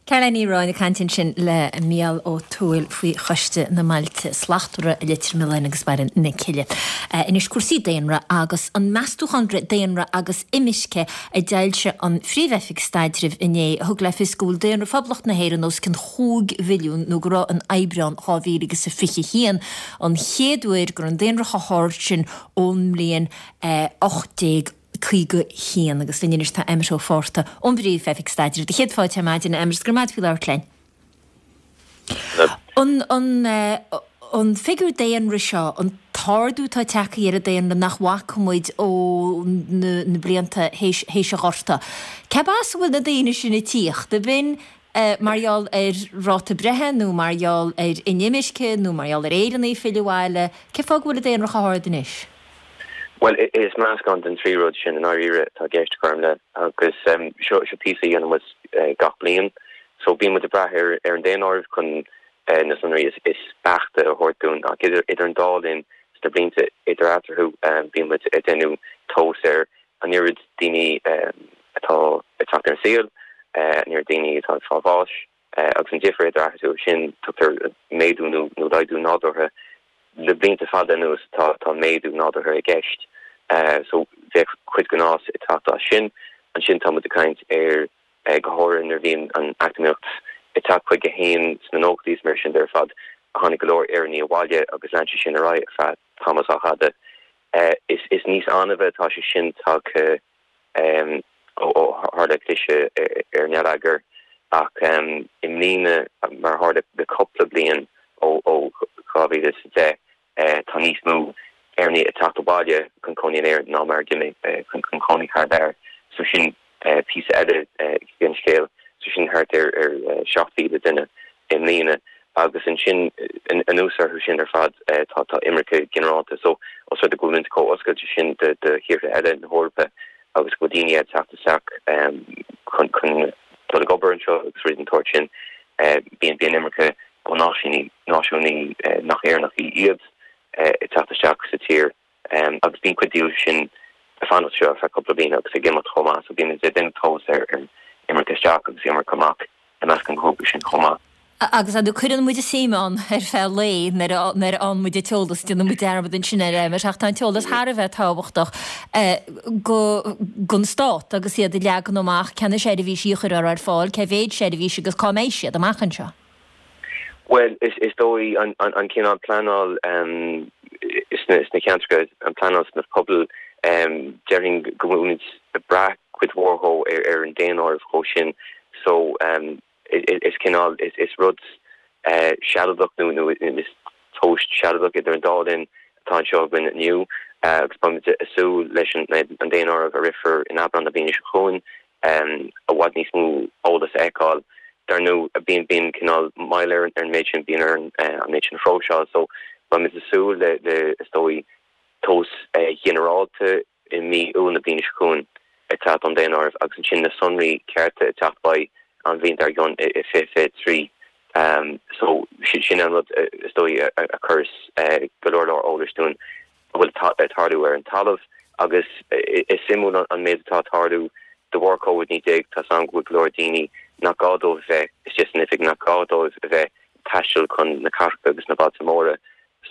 Caroline Ní Ráin ag caint ansin le Mícheál Ó Tuathail faoi Choiste na mBailte Slachtmhara i Leitir Mealláin agus Barra na Cille. Anois cúrsaí daonra agus an meastúchán daonra agus imirce a d'fhoilsigh an Phríomh-Oifig Staidrimh inné a thug le fios go bhfuil daonra Phoblacht na hÉireann os cionn chúig mhilliún nó go raibh in Aibreán 2021, an chéad uair go raibh an daonra chomh hard sin ón mbliain 18. 51 agus linn anois tá Emmet Ó Fátharta ón bPríomh-Oifig Staidrimh. Do chéad fáilte ar maidin, a Emmet, go raibh maith agat faoi labhairt linn. An, an, an figiúr daonra seo, an t-ardú atá tagtha ar an daonra nach bhfaca muid ó na, na blianta théis, théis an Ghorta, cérbh as a bhfuil na daoine sin ag tíocht? Ab in mar gheall ar ráta breithe nó mar gheall ar inimirce nó mar gheall ar Éireannaigh ag filleadh abhaile? Cén fáth go bhfuil an daonra chomh hard anois? Bhuel, is meascán den trí rud sin i ndáiríre atá i gceist, Gormlaith, agus seo píosa a dhéanann muid gach bliain. So bíonn muid ag brath ar an daonáireamh chun na sonraí is beaichte a thabhairt dúinn ach idir an dá linn sna blianta idir eatarthu bíonn muid ag déanamh tomhas ar an oiread daoine atá ag teacht ar an saol, an oiread daoine atá ag fáil bháis. Agus an difear idir eatarthu sin, tugtar méadú nó laghdú nádúrtha. Le blianta fada anuas tá tá méadú nádúrtha i gceist. So bheadh cuid den fhás ag teacht as sin. Ansin tá muid ag caint ar, go háirithe nuair a bhíonn an eacnamaíocht ag teacht chuige féin sna nóchaidí is mar sin de ar fad, tháinig go leor Éireannaigh abhaile agus lean sé sin ar aghaidh ar feadh tamall sách fhada. Is níos annaimhe atá sé sin tagtha. ó tharla cliseadh ar an ngeilleagar ach i mbliana, mar a tharla le cúpla bliain ó 2010, tá níos mó Éireannaigh ag teacht abhaile chun cónaí in Éirinn ná mar a d'imigh chun cónaí thar lear. So sin píosa eile den scéal. So sin thart ar 7,000 duine i mbliana. Agus ansin, anuas orthu sin ar fad, tá tá imirce ginearálta. So, os rud é go bhfuil muid chomh oscailte sin do thíortha eile na hEorpa agus go bhfuil daoine ag teacht isteach chun chun dul ag obair anseo agus rudaí den tsórt sin, bíonn bíonn imirce ó náisiúnaigh náisiúnaigh nach Éireannacha iad ag teacht isteach sa tír. Agus bíonn cuid díobh sin ag fanacht anseo ar feadh cúpla bliain agus ag imeacht chomh maith. So bíonn muid ag déanamh tomhas ar imirce isteach agus imirce amach i measc an ghrúpa sin chomh maith. Agus ar ndóigh cuireann muid suim ann ar feadh lae nuair a nuair a fhaigheann muid an t-eolas, déanann muid dearmad ansin air Emmet ach tá an t-eolas thar a bheith tábhachtach go don stát agus iad ag leagan amach cé na seirbhísí a chuirfear ar fáil, cé mhéad seirbhís agus cá mbeidh siad amach anseo. Bhuel, is dóigh an cineál pleanáil sna ceantracha, an pleanáil sna pobail, déarfainn go bhfuilimid ag brath cuid mhór dhó ar an daonáireamh dhó sin. So, is cineál, is rud sealadach nó is tomhas sealadach idir an dá linn atá anseo againn inniu agus beimid ag súil leis an daonáireamh a rithfear in Aibreán na bliana seo chugainn. i bhfad níos mó eolas a fheiceáil. Dar ndóigh, bíonn bíonn cineál moill ar an méid sin, bíonn orainn an méid sin a phróiseáil so beimid ag súil le le is dóigh tomhas ginearálta i mí Iúil na bliana seo chugainn ag teacht ón daonáireamh agus ansin na sonraí cearta ag teacht beidh an bhliain dár gcionn i 2023. So sin an rud is dóigh a chuireas go leor leor eolais dúinn. a bhfuil ag tarlú ar an talamh agus is suimiúil an méid atá ag tarlú de bharr Covid-19. Tá 's agam go bhfuil go leor daoine nach gá dóibh a bheith istigh san oifig, nach gá dóibh a bheith ag taisteal chun na cathracha agus na bailte móra.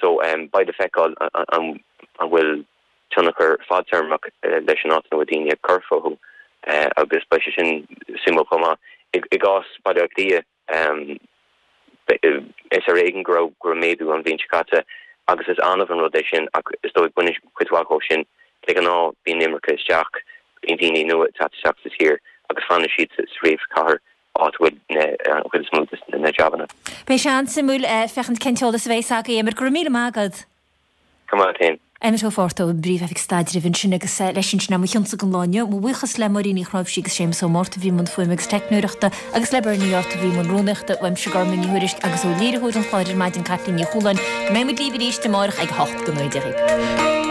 So beidh le feiceáil an bhfuil tionchar fadtéarmach leis an áit ina bhfuil daoine ag cur fúthu agus beidh sé sin suimiúil chomh maith. I gcás Baile Átha Cliath, Is ar éigean go raibh go raibh méadú an bhliain seo caite agus is annamh an rud é sin ach is dóigh baineann cuid mhaith dhó sin. De ghnáth bíonn imirce isteach, bíonn daoine nua ag teacht isteach sa tír agus fanann siad sa phríomhchathair áit a bhfuil an chuid is mó de na jabanna. Beidh sé an-suimiúil féachaint cén t-eolas a bheas agaibh, Emmet. Go raibh míle maith agat. Go maith féin. Emmet Ó Fátharta ón bPríomh-Oifig Staidrimh ansin agus leis sin sin é mo chionsa don lá inniu. Mo bhuíochas le Máirín Ní Chnáimhsí agus Séamus Ó Márta a bhí i mbun fuaime agus teicneoireachta agus le Bernie Art a bhí i mbun rúnaíochta. Uaimse Gormlaith Ní Thuairisg agus ó léiritheoir an chláir ar maidin Caitlín Ní Chualáin. Go mbeidh muid libh arís amárach ag 8 go 9 Dia dhaoibh.